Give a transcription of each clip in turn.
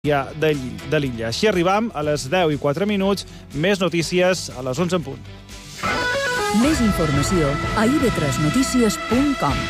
de l'illa. Així arribam a les 10:04, més notícies a les 11 en punt. Més informació a ib3notícies.com.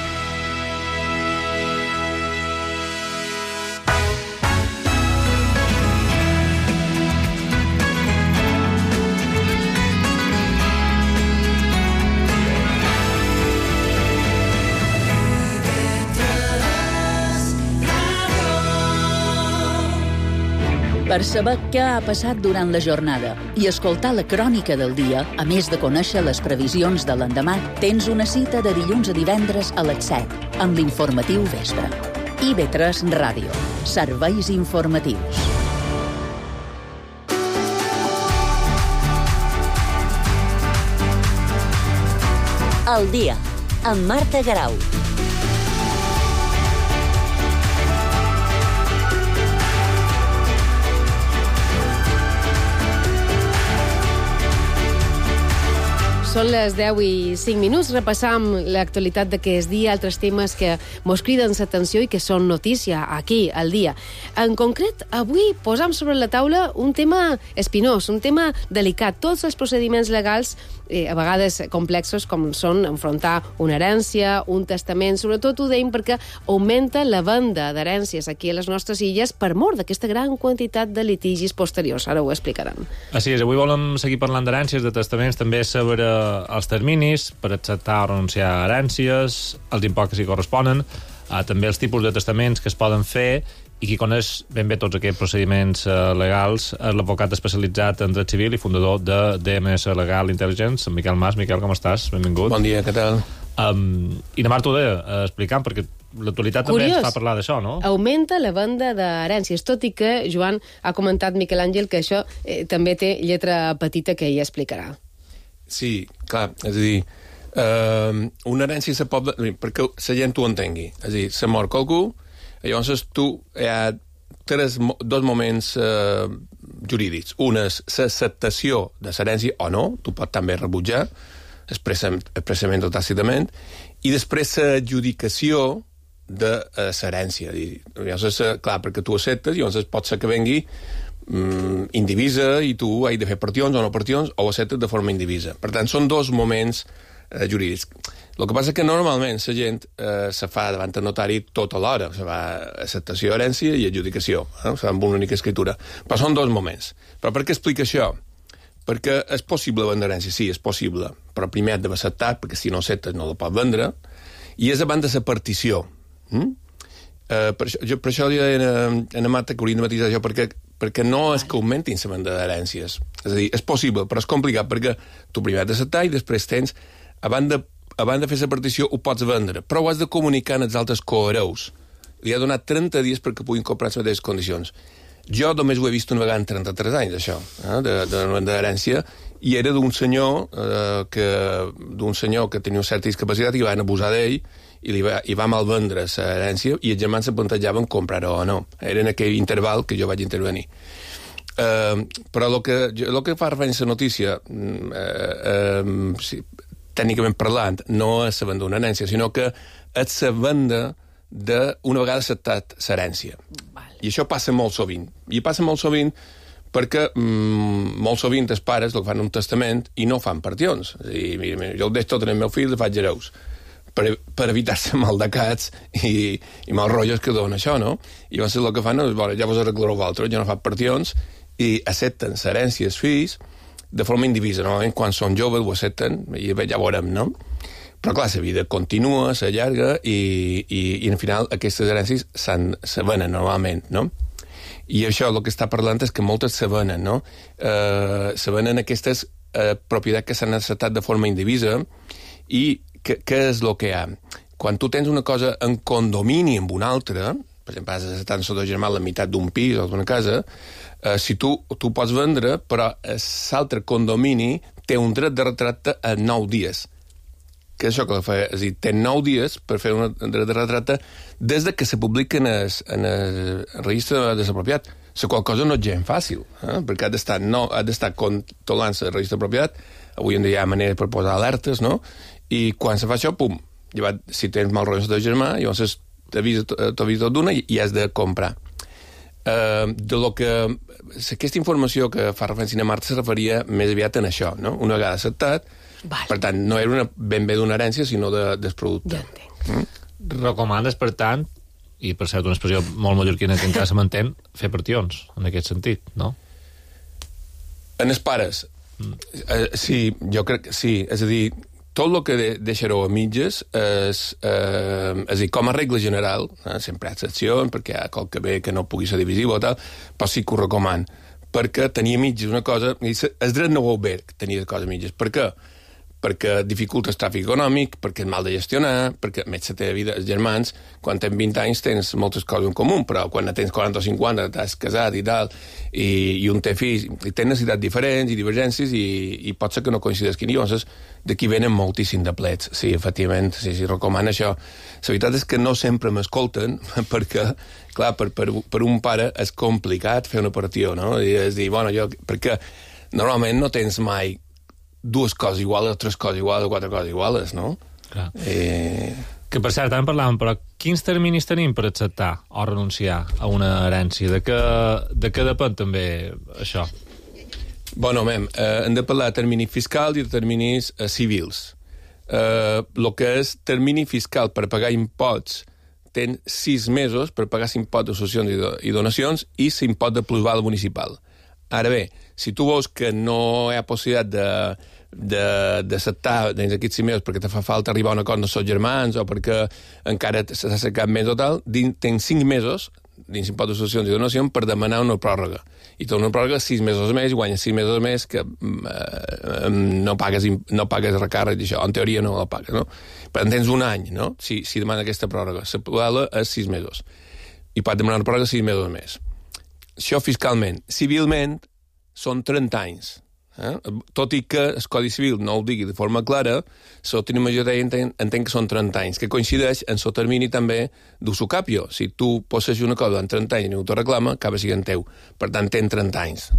Per saber què ha passat durant la jornada i escoltar la crònica del dia, a més de conèixer les previsions de l'endemà, tens una cita de dilluns a divendres a les 7, amb l'informatiu vespre. IB3 Ràdio. Serveis informatius. El dia, amb Marta Garau. Són les 10:05. Repassam l'actualitat d'aquest dia, altres temes que mos criden l'atenció i que són notícia aquí, al dia. En concret, avui posam sobre la taula un tema espinós, un tema delicat. Tots els procediments legals, a vegades complexos, com són enfrontar una herència, un testament, sobretot ho deim perquè augmenta la venda d'herències aquí a les nostres illes per mor d'aquesta gran quantitat de litigis posteriors. Ara ho explicaran. Així és, avui volem seguir parlant d'herències, de testaments, també sobre els terminis per acceptar o renunciar a herències, els imports que s'hi corresponen, també els tipus de testaments que es poden fer, i qui coneix ben bé tots aquests procediments legals és l'advocat especialitzat en dret civil i fundador de DMS Legal Intelligence, en Miquel Mas. Miquel, com estàs? Benvingut. Bon dia, què tal? I demà t'ho deia, explicant, perquè l'actualitat també ens fa parlar d'això, no? Augmenta la venda d'herències, tot i que Joan ha comentat, Miquel Àngel, que això també té lletra petita que ella explicarà. Sí, clar, és a dir, una herència se pot... perquè la gent ho entengui. És a dir, se mor qualcú, llavors hi ha dos moments jurídics. Un és l'acceptació de l'herència o no, tu pots també rebutjar, expressament o tàcitament, i després l'adjudicació de l'herència. Llavors, clar, perquè tu acceptes, llavors pot ser que vengui indivisa i tu has de fer partions o no partions, o ho acceptes de forma indivisa. Per tant, són dos moments jurídics. El que passa és que normalment la gent se fa davant del notari tot alhora. Se fa acceptació, herència i adjudicació. Se fa amb una única escritura. Però són dos moments. Però per què explica això? Perquè és possible vendre herència, sí, és possible. Però primer has d'haver acceptat, perquè si no acceptes no la pots vendre. I és abans de la partició. Per això jo en Marta que hauríem de matisar això, perquè no és que augmentin la venda d'herències. És a dir, és possible, però és complicat, perquè tu primer has d'acceptar i després tens, abans de fer la partició ho pots vendre, però ho has de comunicar als altres cohereus. Li ha donat 30 dies perquè puguin comprar les mateixes condicions. Jo només ho he vist una vegada en 33 anys, això, de venda d'herència, i era d'un senyor que tenia una certa discapacitat i van abusar d'ell i va malvendre l'herència i els germans se plantejaven comprar-ho o no. Era en aquell interval que jo vaig intervenir. Però el que fa referència a la notícia, tècnicament parlant, no és la venda d'una herència, sinó que és la venda d'una vegada acceptat l'herència. I això passa molt sovint. I passa molt sovint perquè molt sovint els pares el fan un testament i no fan partions. És a dir, mira, jo el deixo tot en el meu fill i faig hereus. Per evitar-se maldecats i mal rotllos que dona això, no? I llavors el que fan és, ja vos arreglareu vosaltres, ja no fan partions, i accepten l'herència als fills de forma indivisa. Normalment, quan són joves, ho accepten, i ja veurem, no? Però, clar, la vida continua, s'allarga, i al final aquestes herències se venen normalment, no? I això el que està parlant és que moltes se venen, no? Se venen aquestes propietats que s'han acceptat de forma indivisa, i què és el que hi ha? Quan tu tens una cosa en condomini amb una altra, per exemple, has acceptat sota germà la meitat d'un pis o d'una casa, si tu pots vendre, però l'altre condomini té un dret de retracte a 9 dies. Què és això que fa? És a dir, té 9 dies per fer un dret de retracte des que se publica en el registre de la propietat. La qual cosa no és gens fàcil, perquè ha d'estar controlant el registre de propietat. Avui en dia hi ha maneres per posar alertes, no? I quan se fa això, pum, si tens mal rotllos de germà, llavors t'avisa tot d'una i has de comprar. de lo que... Aquesta informació que fa referència a Marta se referia més aviat en això, no? Una vegada acceptat, per tant, no era ben bé d'una herència, sinó del producte. Ja entenc. Recomanes, per tant, i per cert una expressió molt mallorquina que encara se m'entén, fer partions, en aquest sentit, no? En els pares, sí, jo crec que sí. És a dir, tot el que deixareu a mitges és a dir, com a regla general, sempre hi ha excepcions, perquè hi ha qualque bé que no pugui ser divisiu o tal, però sí que ho recoman, perquè tenir a mitges una cosa... El dret no vol bé tenir coses a mitges. Per què? Perquè dificulta el tràfic econòmic, perquè és mal de gestionar, perquè a més la teva vida, els germans, quan tens 20 anys tens moltes coses en comú, però quan tens 40 o 50 t'has casat i tal, i un té fills, i tens necessitats diferents i divergències, i pot ser que no coincidisquin. Llavors, d'aquí venen moltíssim de plets. Sí, efectivament, sí, recomana això. La veritat és que no sempre m'escolten, perquè, clar, per un pare és complicat fer una operació, no? I és dir, bueno, perquè normalment no tens mai dues coses iguals, tres coses iguals o quatre coses iguals, no? Clar. Que, per cert, també parlàvem, però quins terminis tenim per acceptar o renunciar a una herència? De què depèn també això? Bueno, hem de parlar de terminis fiscals i de terminis civils. El que és termini fiscal per pagar imposts ten 6 mesos per pagar l'impost de successions i donacions i l'impost de plusval municipal. Ara bé, si tu veus que no hi ha possibilitat d'acceptar dins aquests 6 mesos perquè te fa falta arribar a un acord amb els seus germans o perquè encara s'ha assecat més o tal, tens 5 mesos dins l'impost de successions i donacions per demanar una pròrroga. I té una pròrroga 6 mesos més, guanyes 6 mesos més que no pagues recàrrec d'això. En teoria no la pagues, no? Per tant, tens un any, no? Si demana aquesta pròrroga. La pròrroga és 6 mesos. I pot demanar una pròrroga 6 mesos més. Això fiscalment. Civilment són 30 anys. Tot i que el Codi Civil no ho digui de forma clara, la majoria entén que són 30 anys, que coincideix en el termini també d'usucapio. Si tu possessis una cosa en 30 anys i no t'ho reclama, acaba sent teu. Per tant, tens 30 anys.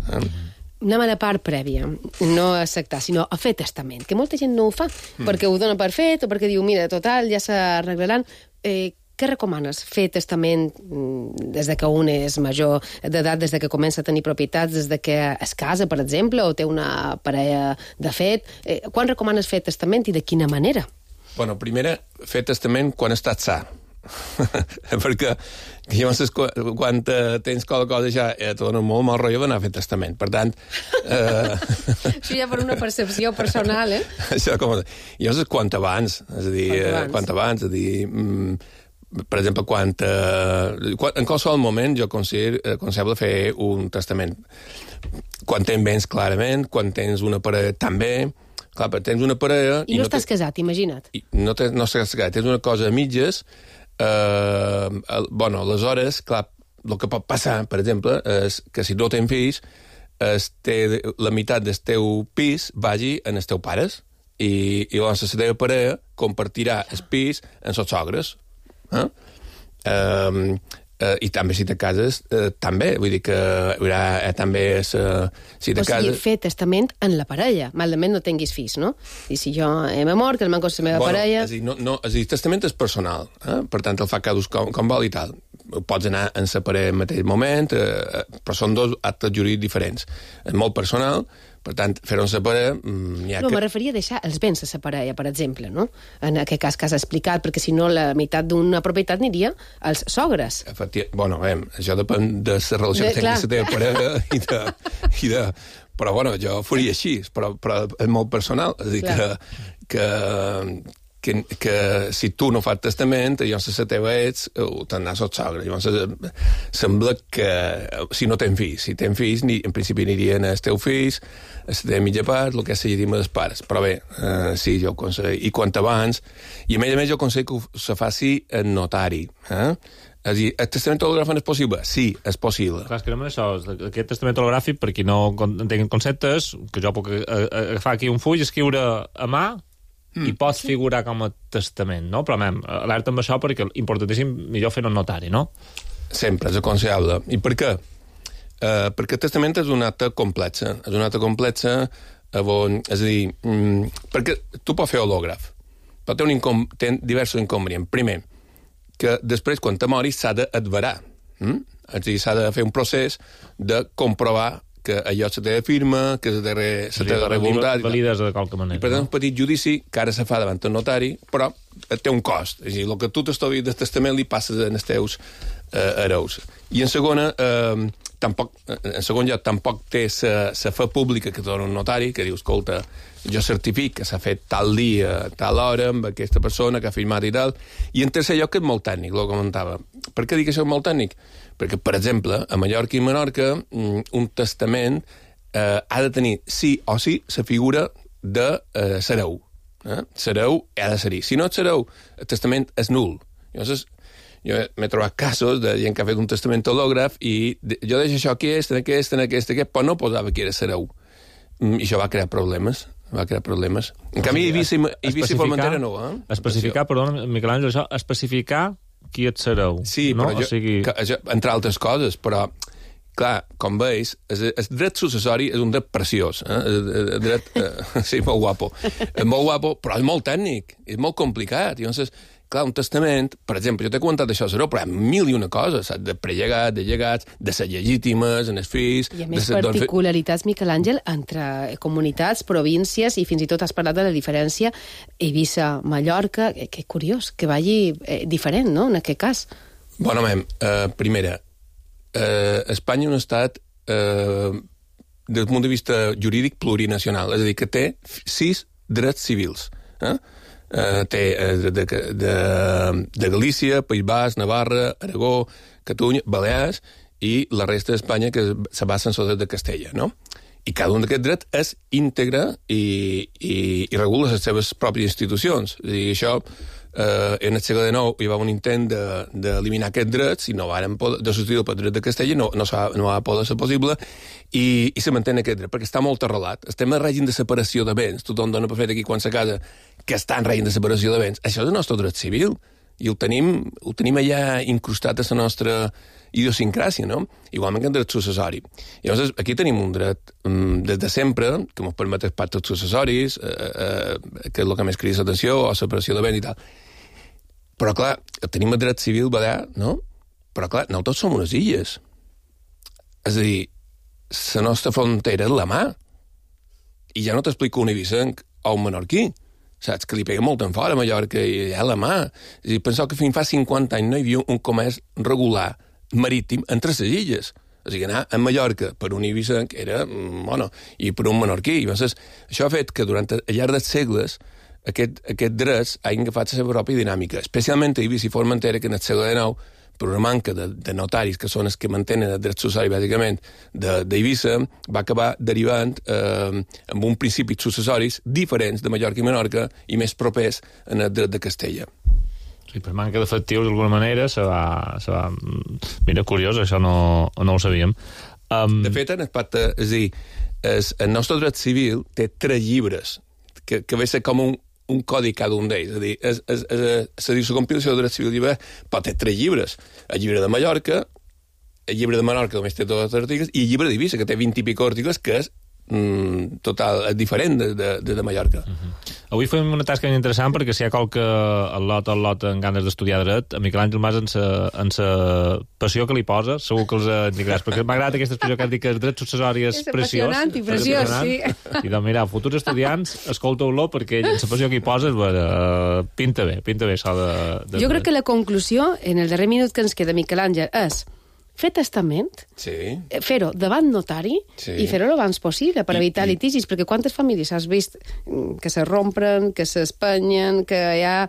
Anem a la part prèvia, no a acceptar, sinó a fer testament, que molta gent no ho fa, perquè ho dona per fet o perquè diu, mira, total, ja s'arreglaran. Què recomanes? Fer testament des de que un és major d'edat, des de que comença a tenir propietats, des de que es casa, per exemple, o té una parella de fet? Quan recomanes fer testament i de quina manera? Bueno, primer, fer testament quan estàs sa. Perquè llavors quan tens qualque cosa ja te dona molt mal rotllo d'anar a fer testament. Per tant... Això ja per una percepció personal, eh? Això com... Llavors quant abans, és a dir, quant abans, és a dir... Per exemple, en qualsevol moment jo aconsellable fer un testament. Quan tens béns, clarament, quan tens una parella, també. Clar, però tens una parella... I no estàs casat, imagina't. No estàs casat, tens una cosa a mitges. Bueno, aleshores, clar, el que pot passar, per exemple, és que si no tens fills, la meitat del teu pis vagi en els teus pares. I llavors la teva parella compartirà el pis amb els sogres. I també si te cases també, vull dir que hi haurà també si te cases... O sigui, fer testament en la parella, malament no tinguis fills, no? I si jo m'he mort, que el manco la meva parella... És a dir, testament és personal, per tant el fa cadascú com vol i tal. Pots anar en la parella en mateix moment, però són dos actes jurídics diferents. És molt personal, per tant, fer-ho en la parella... No, me referia a deixar els béns a la parella, per exemple, no? En aquest cas que has explicat, perquè si no la meitat d'una propietat aniria als sogres. Bueno, això depèn de la relació que tens amb la teva parella però, bueno, jo ho faria així, però és molt personal. És a dir, que si tu no fas testament, llavors la teva ets, t'anàs al sogre. Llavors sembla que si no tens fills, si tens fills, en principi anirien els teus fills, la teva mitja part, el que és la llegítima dels pares. Però bé, sí, jo aconsello. I quant abans, i a més jo aconsello que se faci en notari. És a dir, el testament hologràfic és possible? Sí, és possible. Clar, és que no això, aquest testament hologràfic, per qui no entengui conceptes, que jo puc agafar aquí un full, escriure a mà, i pots figurar com a testament, no? Però, alerta amb això perquè importantíssim millor fer-ho en notari, no? Sempre, és aconsellable. I per què? Perquè el testament és un acte complex. És un acte complex és a dir, perquè tu pots fer hològraf, però té diversos inconvenients. Primer, que després, quan te moris, s'ha d'adverar. És a dir, s'ha de fer un procés de comprovar que allò se té de firma, que se té de voluntat... Valides de qualque manera. I per tant, un petit judici que ara se fa davant el notari, però té un cost. És a dir, el que tu t'estalvies del testament li passes als teus hereus. I en segon lloc, tampoc té la fe pública que dona un notari, que diu, escolta, jo certific que s'ha fet tal dia, tal hora, amb aquesta persona que ha firmat i tal. I en tercer lloc, que és molt tècnic, el comentava. Per què dic que això és molt tècnic? Perquè, per exemple, a Mallorca i Menorca, un testament ha de tenir sí o sí la figura de l'hereu. L'hereu ha de ser-hi. Si no és l'hereu, el testament és nul. Llavors, jo m'he trobat casos de gent que ha fet un testament hològraf i jo deixo això aquí, aquest, però no posava que era l'hereu. I això va crear problemes. En canvi, Eivissa i Formentera no. Especificar, perdona, Miquel Àngel, això, especificar qui et sereu. Sí, no? Però entre altres coses, però, clar, com veus, el dret successori és un dret preciós. El dret, sí, molt guapo. És molt guapo, però és molt tècnic, és molt complicat. Llavors, clar, un testament, per exemple, jo t'he comentat això, però hi ha mil i una coses, saps? De prellegat, de llegats, de ser legítimes, en els fills... I a més particularitats, Miquel Àngel, entre comunitats, províncies, i fins i tot has parlat de la diferència Eivissa-Mallorca, que curiós, que vagi diferent, no?, en aquest cas. Bueno, primera, Espanya és un estat, des del punt de vista jurídic, plurinacional, és a dir, que té 6 drets civils, té de Galícia, País Basc, Navarra, Aragó, Catalunya, Balears i la resta d'Espanya que se basa en el dret de Castella, no? I cada un d'aquests drets és íntegre i regula les seves pròpies institucions. És a dir, això, en el segle XIX hi va un intent d'eliminar aquests drets i no varen poder, de substituir pel dret de Castella, no va poder ser possible, i se manté aquest dret, perquè està molt arrelat. Estem en règim de separació de béns. Tothom dona per fet aquí quan se casa que està en règim de separació de béns. Això és el nostre dret civil, i ho tenim allà incrustat a la nostra idiosincràsia, no? Igualment que el dret successori. Llavors, aquí tenim un dret des de sempre, que ens permet els pactes successoris, que és el que més crida l'atenció, o separació de béns i tal. Però, clar, tenim el dret civil balear, no? Però, clar, no tots som unes illes. És a dir, la nostra frontera és la mà. I ja no t'explico un eivissenc o un menorquí. Saps? Que li pega molt en fora a Mallorca i allà a la mà. És a dir, penseu que fins fa 50 anys no hi havia un comerç regular marítim entre les illes. O sigui, anar a Mallorca per un eivissenc era, i per un menorquí. I llavors, això ha fet que durant al llarg dels segles aquests drets hagin agafat la seva pròpia dinàmica, especialment a Eivissa i Formentera, que en el segle XIX, per una manca de notaris, que són els que mantenen el dret successori, bàsicament, d'Eivissa, va acabar derivant amb un principis successoris diferents de Mallorca i Menorca i més propers en el dret de Castella. Sí, per manca d'efectius, d'alguna manera, se va... Mira, curiós, això no ho sabíem. De fet, en el pacte, és a dir, el nostre dret civil té 3 llibres, que ve a ser com un codi cada un d'ells. És a dir, la compilació del dret civil llibre, però té 3 llibres. El llibre de Mallorca, el llibre de Menorca, només té tots els articles, i el llibre d'Eivissa, que té 20 i pico articles, que és total, és diferent de Mallorca. Avui fem una tasca interessant perquè si hi ha qualque al·lot amb ganes d'estudiar dret, a Miquel Àngel Mas en sa passió que li posa, segur que els indicaràs, perquè m'ha agradat aquesta expressió que has dit que el dret successori és preciós. És apassionant i preciós, sí. I doncs mira, futurs estudiants, escolteu-lo perquè ell, en la passió que hi posa, pinta bé això de... Jo crec que la conclusió, en el darrer minut que ens queda, Miquel Àngel, és fer testament, fer-ho davant notari i fer-ho l'abans possible per evitar litigis, perquè quantes famílies has vist que se rompren, que s'espenyen, que hi ha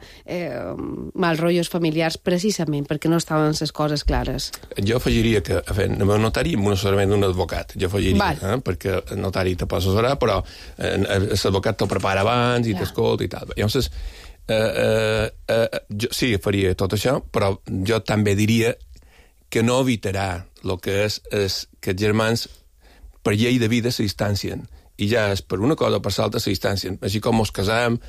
mal rotllos familiars precisament perquè no estaven les coses clares. Jo afegiria que fent el notari amb un assessorament d'un advocat, jo afegiria, perquè el notari te pot assessorar, però l'advocat te'l prepara abans i t'escolta i tal. Llavors, jo sí, faria tot això, però jo també diria que no evitarà el que és que els germans, per llei de vida, se distancien. I ja és per una cosa o per l'altra se distancien. Així com ens casam,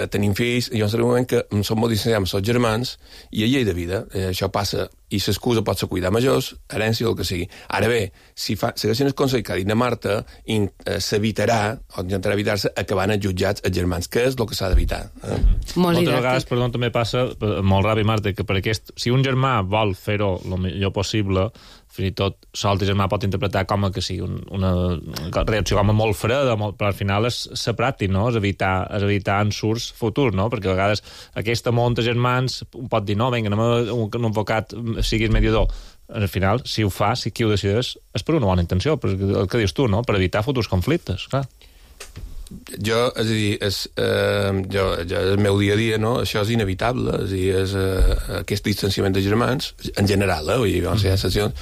tenim fills, i llavors en un moment que som molt distanciats amb els germans, i a llei de vida, això passa i l'excusa pot ser cuidar majors, herència o el que sigui. Ara bé, si segueixen el consell que ha dit na Marta, s'evitarà, o intentarà evitar-se, acabant els jutjats els germans, que és el que s'ha d'evitar. Moltes vegades, perdó, també passa, molt ràpid, Marta, que per si un germà vol fer-ho el millor possible, fins i tot l'altre germà pot interpretar com que sigui una reacció com molt freda, però al final és ser pràctic, no? És evitar ensurts futurs, no? Perquè a vegades aquesta monta germans pot dir, no, vinga, anem a un advocat siguis mediador. Al final, si ho fa, si qui ho decideix, és per una bona intenció, per el que dius tu, no? Per evitar futurs conflictes, clar. Jo, és a dir, el meu dia a dia, no? Això és inevitable, és a dir, aquest distanciament de germans, en general, vull dir, hi ha sessions,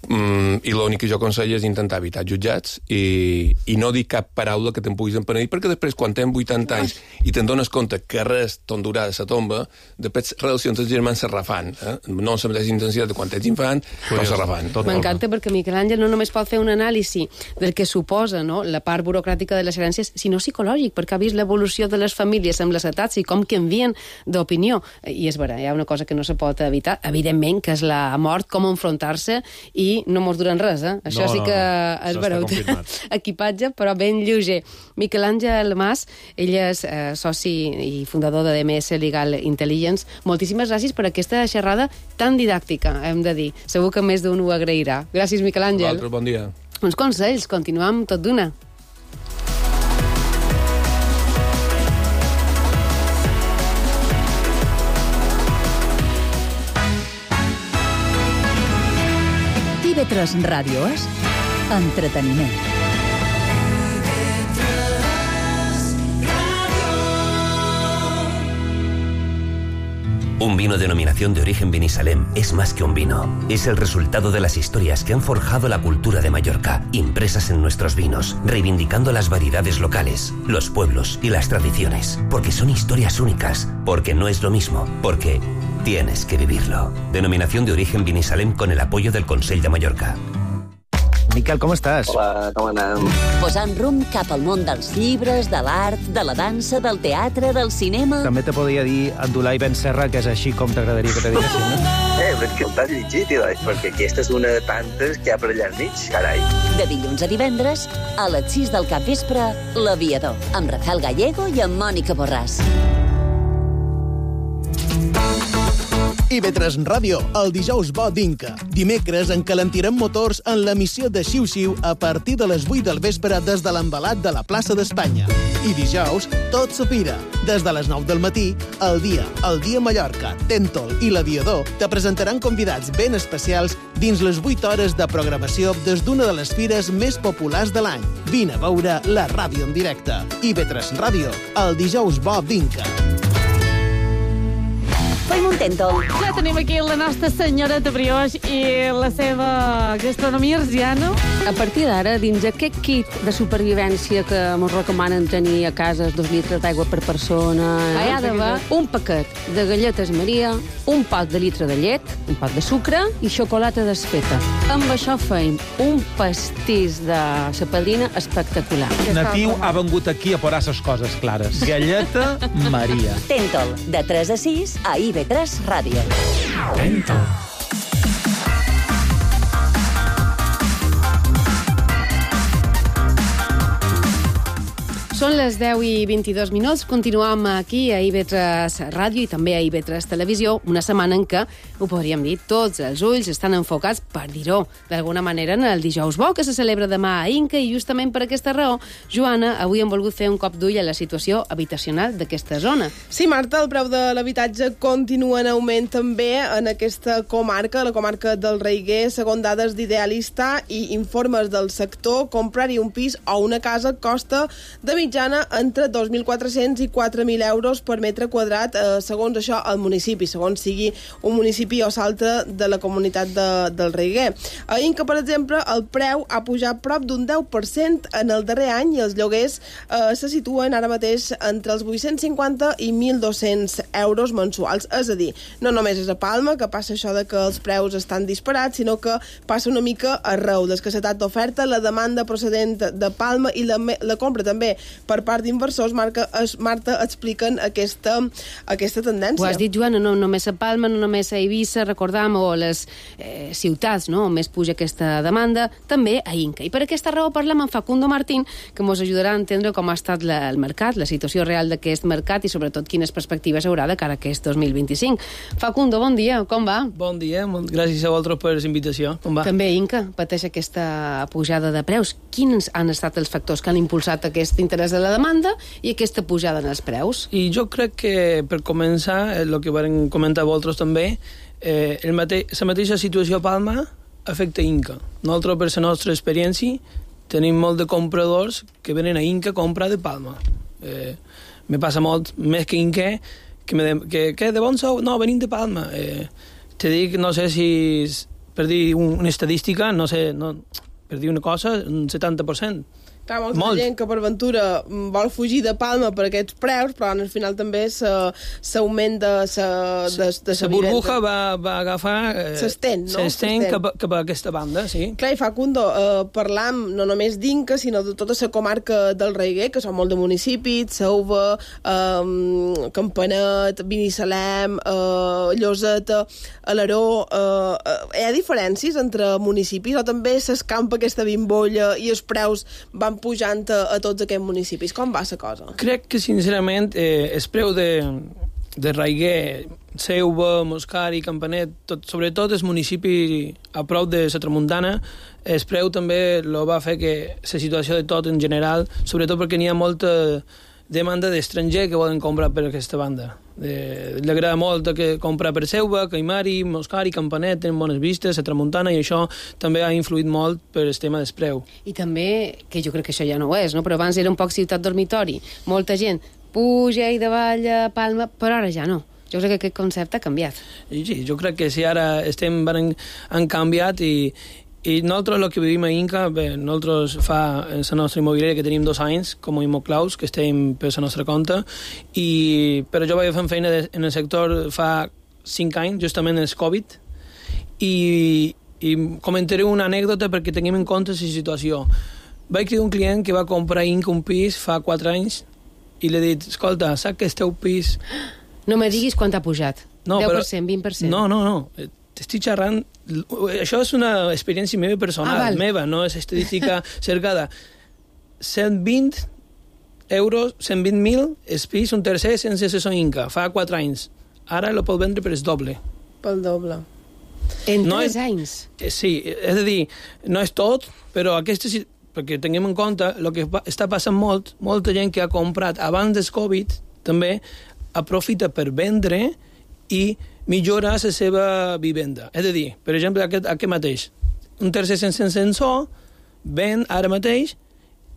i l'únic que jo aconsello és intentar evitar jutjats i no dir cap paraula que te'n puguis empenedir, perquè després, quan tens 80 anys i te'n dones compte que res t'ondurà de sa tomba, després relacions dels germans se refan. No amb la mateixa intensitat de quan ets infant, però se refan. M'encanta perquè Miquel Àngel no només pot fer un anàlisi del que suposa, no?, la part burocràtica de les herències, sinó psicològic, perquè ha vist l'evolució de les famílies amb les etats i com canvien d'opinió. I és vera, hi ha una cosa que no se pot evitar, evidentment, que és la mort, com enfrontar-se, i no mos duren res, Això sí que és veureu. Equipatge, però ben lleuger. Miquel Àngel Mas, ell és soci i fundador de DMS Legal Intelligence. Moltíssimes gràcies per aquesta xerrada tan didàctica, hem de dir. Segur que més d'un ho agrairà. Gràcies, Miquel Àngel. Bon dia. Uns consells, continuem tot d'una. TV3 Ràdio és entreteniment. Un vino denominación de origen Vinisalem es más que un vino. Es el resultado de las historias que han forjado la cultura de Mallorca, impresas en nuestros vinos, reivindicando las variedades locales, los pueblos y las tradiciones. Porque son historias únicas, porque no es lo mismo, porque tienes que vivirlo. Denominación de origen Vinisalem con el apoyo del Consell de Mallorca. Miquel, com estàs? Hola, com anem? Posant rumb cap al món dels llibres, de l'art, de la dansa, del teatre, del cinema... També te podria dir Abdulai Ben Serra, que és així com t'agradaria que te diguessin, no? Però que el t'has llegit, perquè aquesta és una de tantes que hi ha per allà al mig, carai. De dilluns a divendres, a les 6 del capvespre, L'Aviador, amb Rafael Gallego i amb Mònica Borràs. IB3 Ràdio, el dijous bo d'Inca. Dimecres encalentirem motors en l'emissió de Xiu Xiu a partir de les 8 del vespre des de l'embalat de la plaça d'Espanya. I dijous, tot s'apira. Des de les 9 del matí, El Dia Mallorca, Tèntol i l'Aviador te presentaran convidats ben especials dins les 8 hores de programació des d'una de les fires més populars de l'any. Vine a veure la ràdio en directe. IB3 Ràdio, el dijous bo d'Inca. Fem un tèntol. Ja tenim aquí la nostra senyora de brioix i la seva gastronomia arsiana. A partir d'ara, dins aquest kit de supervivència que ens recomanen tenir a casa 2 litres d'aigua per persona, hi ha d'haver un paquet de galletes Maria, un pot de litre de llet, un pot de sucre i xocolata desfeta. Amb això feim un pastís de la padrina espectacular. Natiu ha vengut aquí a posar les coses clares. Galleta Maria. Tèntol, de 3 a 6 a IB3 Ràdio. Tèntol. Són les 10 i 22 minuts. Continuem aquí a IB3 Ràdio i també a IB3 Televisió, una setmana en què, ho podríem dir, tots els ulls estan enfocats, per dir-ho d'alguna manera, en el dijous bo, que se celebra demà a Inca, i justament per aquesta raó, Joana, avui hem volgut fer un cop d'ull a la situació habitacional d'aquesta zona. Sí, Marta, el preu de l'habitatge continua en augment també en aquesta comarca, la comarca del Reiguer, segons dades d'Idealista i informes del sector. Comprar-hi un pis o una casa costa de mitjana entre 2.400 i 4.000 euros per metre quadrat, segons això, el municipi, segons sigui un municipi o s'altre de la comunitat del Reiguer. A Inca, per exemple, el preu ha pujat prop d'un 10% en el darrer any i els lloguers se situen ara mateix entre els 850 i 1.200 euros mensuals. És a dir, no només és a Palma que passa això de que els preus estan disparats, sinó que passa una mica arreu. L'escassetat d'oferta, la demanda procedent de Palma i la compra també per part d'inversors, Marta, expliquen aquesta tendència. Ho has dit, Joana, no només a Palma, no només a Eivissa, recordam, o a les ciutats, no?, on més puja aquesta demanda, també a Inca. I per aquesta raó parlem amb Facundo Martín, que ens ajudarà a entendre com ha estat el mercat, la situació real d'aquest mercat i sobretot quines perspectives haurà de cara a aquest 2025. Facundo, bon dia, com va? Bon dia, gràcies a vosaltres per la invitació. Com va? També Inca pateix aquesta pujada de preus. Quins han estat els factors que han impulsat aquest interès de la demanda i aquesta pujada en els preus? I jo crec que, per començar, el que vam comentar vosaltres també, la mateixa situació a Palma afecta Inca. Nosaltres, per la nostra experiència, tenim molt de compradors que venen a Inca a comprar de Palma. Me passa molt, més que Inca, que de bon sou? No, venim de Palma. Te dic, no sé si, per dir una estadística, no sé, per dir una cosa, un 70%. Clar, molta gent que per ventura vol fugir de Palma per aquests preus, però al final també s'augmenta la burbuja va agafar... S'estén, no? S'estén cap a aquesta banda, sí. Clar, i Facundo, parlam no només d'Inca, sinó de tota la comarca del Raiguer, que són molt de municipis, Sauva, Campanet, Binissalem, Lloseta, Alaró... Hi ha diferències entre municipis o també s'escampa aquesta bimbolla i els preus van pujant a tots aquests municipis? Com va la cosa? Crec que, sincerament, el preu de Raiguer, Seuva, Moscari, Campanet, sobretot el municipi a prop de la Tramuntana, el preu també lo va fer que la situació de tot en general, sobretot perquè n'hi ha molta demanda d'estranger que volen comprar per aquesta banda. Li agrada molt que comprar per Seuva, Caimari, Moscari, Campanet, tenen bones vistes, la Tramuntana, i això també ha influït molt per el tema del preu. I també, que jo crec que això ja no ho és, no? Però abans era un poc ciutat dormitori. Molta gent puja i davalla, Palma, però ara ja no. Jo crec que aquest concepte ha canviat. Sí, jo crec que sí, ara han canviat i nosaltres el que vivim a Inca, bé, nosaltres fa la nostra immobiliària que tenim 2 anys com a Immoclaus, que estem per la nostra compte, però jo vaig fent feina en el sector fa 5 anys, justament en el Covid, i comentaré una anècdota perquè tinguem en compte la situació. Vaig cridar un client que va comprar a Inca un pis fa 4 anys i li he dit, escolta, saps que el teu pis... No me diguis quant ha pujat. No, 10%, 20%. No. T'estic xerrant... Això és una experiència meva personal, meva, no és estadística cercada. 120 euros, 120.000 el pis, un tercer sense assessor Inca, fa 4 anys. Ara lo pot vendre per el doble. Pel doble. En 3 anys? Sí, és a dir, no és tot, però perquè tinguem en compte el que està passant molta gent que ha comprat abans del Covid també aprofita per vendre i millora la seva vivenda. És a dir, per exemple, aquest mateix, un tercer sense ascensor ven ara mateix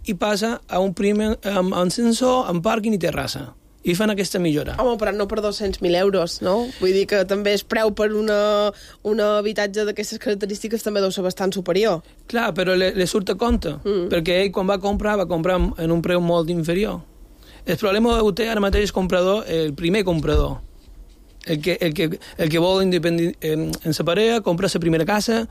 i passa a un primer amb ascensor, amb pàrquing i terrassa. I fan aquesta millora. Home, però no per 200.000 euros, no? Vull dir que també es preu per un habitatge d'aquestes característiques també deu ser bastant superior. Clar, però le surt a compte, perquè ell quan va comprar en un preu molt inferior. El problema ho té ara mateix el primer comprador. El que vol en sa parella, comprar la primera casa,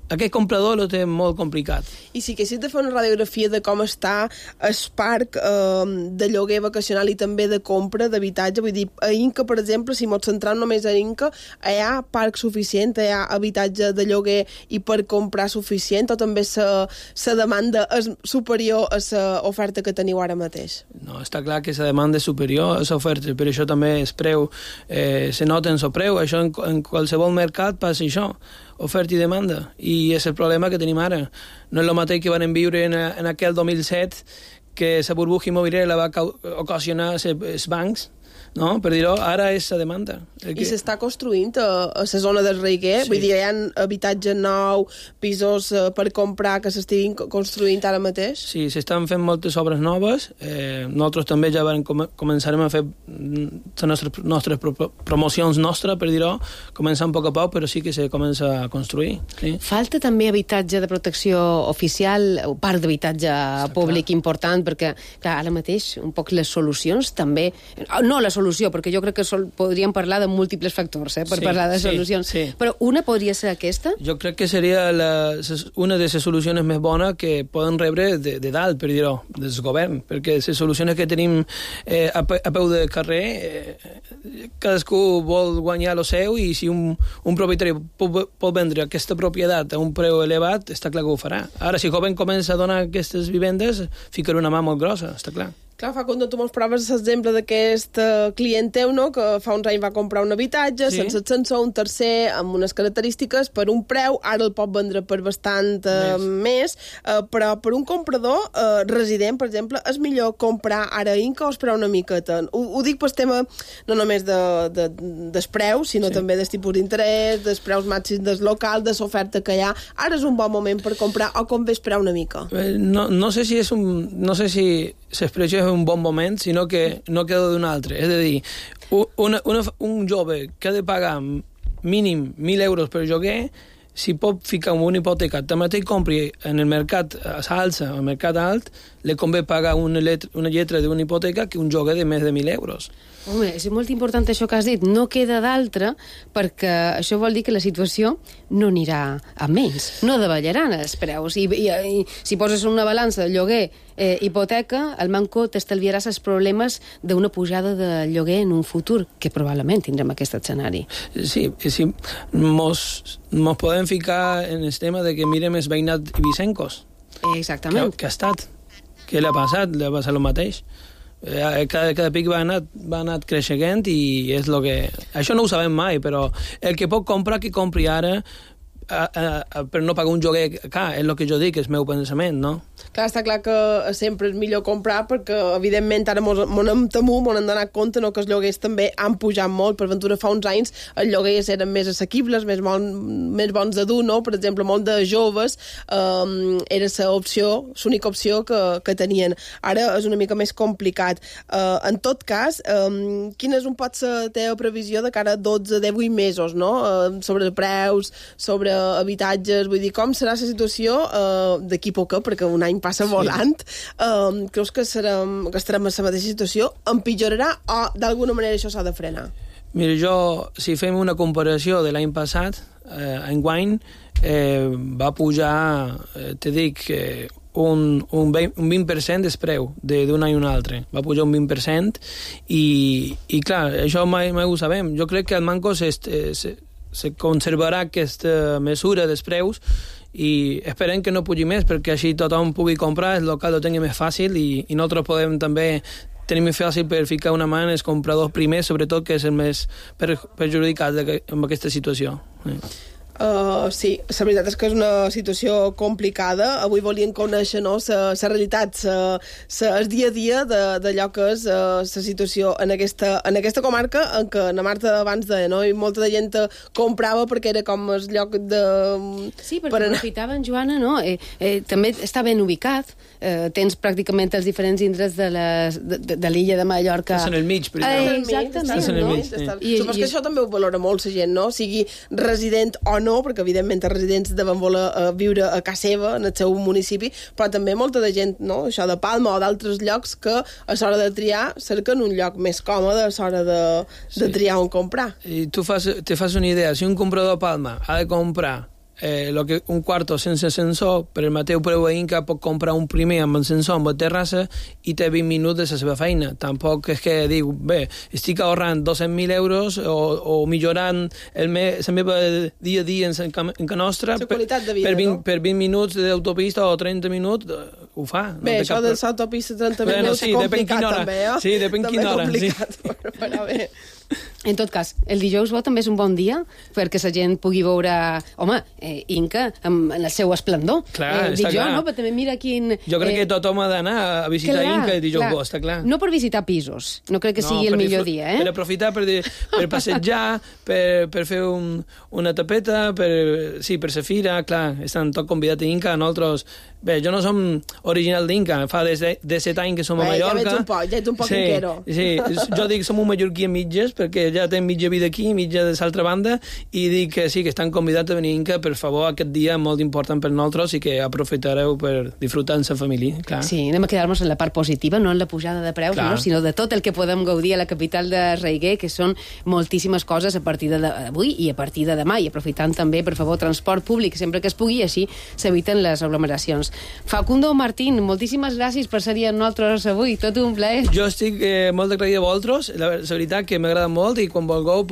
aquest comprador ho té molt complicat. I si haguessis de fer una radiografia de com està el parc de lloguer vacacional i també de compra d'habitatge, vull dir, a Inca, per exemple, si ens centrem només a Inca, hi ha parc suficient, hi ha habitatge de lloguer i per comprar suficient, o també la demanda és superior a l'oferta que teniu ara mateix? No, està clar que la demanda és superior a l'oferta, per això també el preu se nota en el preu, això en qualsevol mercat passa això, oferta i demanda, i és el problema que tenim ara. No és el mateix que van viure en aquell 2007, que la burbuja immobiliària la va ocasionar els bancs, no? Per dir-ho, ara és la demanda. I s'està construint a la zona del Raiguer? Sí. Vull dir, hi ha habitatge nou, pisos per comprar que s'estiguin construint ara mateix? Sí, s'estan fent moltes obres noves. Nosaltres també ja començarem a fer les nostres promocions nostres, per dir-ho, començant a poc, però sí que se comença a construir. Sí. Falta també habitatge de protecció oficial, o parc d'habitatge públic important, perquè, clar, ara mateix, un poc les solucions també... No, les solució, perquè jo crec que podríem parlar de múltiples factors per parlar de solucions. Però una podria ser aquesta? Jo crec que seria una de les solucions més bones que poden rebre de dalt, per dir-ho, del govern, perquè les solucions que tenim a peu de carrer, cadascú vol guanyar el seu, i si un propietari pot vendre aquesta propietat a un preu elevat, està clar que ho farà. Ara, si el govern comença a donar aquestes vivendes, ficarà una mà molt grossa, està clar. Clar, Facundo, tu mos proves l'exemple d'aquest client teu, no?, que fa uns anys va comprar un habitatge, sense ascensor, un tercer, amb unes característiques, per un preu, ara el pot vendre per bastant més, però per un comprador resident, per exemple, és millor comprar ara Inca o esperar una miqueta? Ho dic pel tema no només dels preus, sinó també dels tipus d'interès, dels preus màxims del local, de l'oferta que hi ha. Ara és un bon moment per comprar o convé esperar una mica? No sé si l'expressió és un bon moment, sinó que no queda d'un altre. És a dir, un jove que ha de pagar mínim 1.000 euros per lloguer, si pot ficar en una hipoteca, també compri en el mercat alça, al mercat alt, li convé pagar una lletra d'una hipoteca que un lloguer de més de 1.000 euros. Home, és molt important això que has dit. No queda d'altra, perquè això vol dir que la situació no anirà a menys. No davallaran els preus. I si poses una balança de lloguer hipoteca, el Manco t'estalviaràs els problemes d'una pujada de lloguer en un futur, que probablement tindrem aquest escenari. Sí, mos podem ficar en el tema de que mirem els veïnats ibicencos. Exactament. Que ha estat. Què l'ha passat? L'ha passat el mateix. Cada pic va anat creixent i és el que... Això no ho sabem mai, però el que pot comprar, que compri ara per no pagar un lloguer car, és el que jo dic, és el meu pensament, no? Clar, està clar que sempre és millor comprar perquè, evidentment, ara mos hem temut, mos hem donat compte, no, que els lloguers també han pujat molt. Per ventura, fa uns anys els lloguers eren més assequibles, més bons de dur, no? Per exemple, molt de joves era l'única opció que tenien. Ara és una mica més complicat. En tot cas, quina és pot ser la teva previsió de cara a 12-18 mesos, no? Sobre preus, sobre habitatges, vull dir, com serà la situació d'aquí poc, perquè un any passa volant. Creus que estarem en la mateixa situació? Empitjorarà o d'alguna manera això s'ha de frenar? Mira, si fem una comparació de l'any passat, enguany va pujar, te dic, un 20% del preu d'un any a un altre. Va pujar un 20% i clar, això mai ho sabem. Jo crec que el Manco se conservarà aquesta mesura dels preus i esperem que no pugi més, perquè així tothom pugui comprar, el local ho tingui més fàcil i nosaltres podem també tenir més fàcil per ficar una mà en els compradors primers, sobretot, que és el més perjudicat amb aquesta situació. Sí, la veritat és que és una situació complicada. Avui volíem conèixer la realitat, el dia a dia d'allò que és la situació en aquesta comarca, en què la Marta abans deia, no? I molta de gent comprava perquè era com el lloc de... Sí, perquè aprofitaven, Joana, no? També està ben ubicat. Tens pràcticament els diferents indrets de l'illa de Mallorca. Estàs en el mig, per exemple. Exactament. Supos que això també ho valora molt la gent, no? Sigui resident o no, perquè evidentment els residents deuen voler viure a casa seva, en el seu municipi, però també molta de gent, no? Això de Palma o d'altres llocs que a l'hora de triar cerquen un lloc més còmode a l'hora de triar on comprar. I tu te fas una idea, si un comprador a Palma ha de comprar un quarto sense ascensor, per el mateix preu a Inca pot comprar un primer amb ascensor, amb terrassa, i té 20 minuts de la seva feina. Tampoc és que diu, bé, estic ahorrant 200.000 euros o millorant la meva dia a dia en ca nostra per 20 minuts d'autopista o 30 minuts, ho fa. Bé, això de l'autopista 30 minuts és complicat també, eh? Sí, depèn quina hora. També complicat, però bé. En tot cas, el dijous bo també és un bon dia perquè la gent pugui veure, home, Inca en el seu esplendor. Clar, dic està jo, clar. no? Però també mira quin... Jo crec que tothom ha d'anar a visitar Inca el dijous bo, està clar. No per visitar pisos, no crec que sigui el millor dia, Per aprofitar, per passejar, per fer una tapeta, per la fira, clar, estan tot convidats a Inca, nosaltres... Bé, jo no som original d'Inca, fa de 7 anys que som a Mallorca. Ja ets un poc inquero. Sí, jo dic som un mallorquí a mitges, perquè ja tenen mitja vida aquí, mitja de l'altra banda, i dic que sí, que estan convidats a venir Inca, per favor, aquest dia molt important per nosaltres i que aprofitareu per disfrutar amb la família. Clar. Sí, anem a quedar-nos en la part positiva, no en la pujada de preus, no? Sinó de tot el que podem gaudir a la capital de Reguer, que són moltíssimes coses a partir d'avui i a partir de demà, i aprofitant també, per favor, transport públic sempre que es pugui, així s'eviten les aglomeracions. Facundo Martín, moltíssimes gràcies per ser amb nosaltres avui, tot un plaer. Jo estic molt agraït a vosaltres, la veritat que m'agrada molt, i quan vulgueu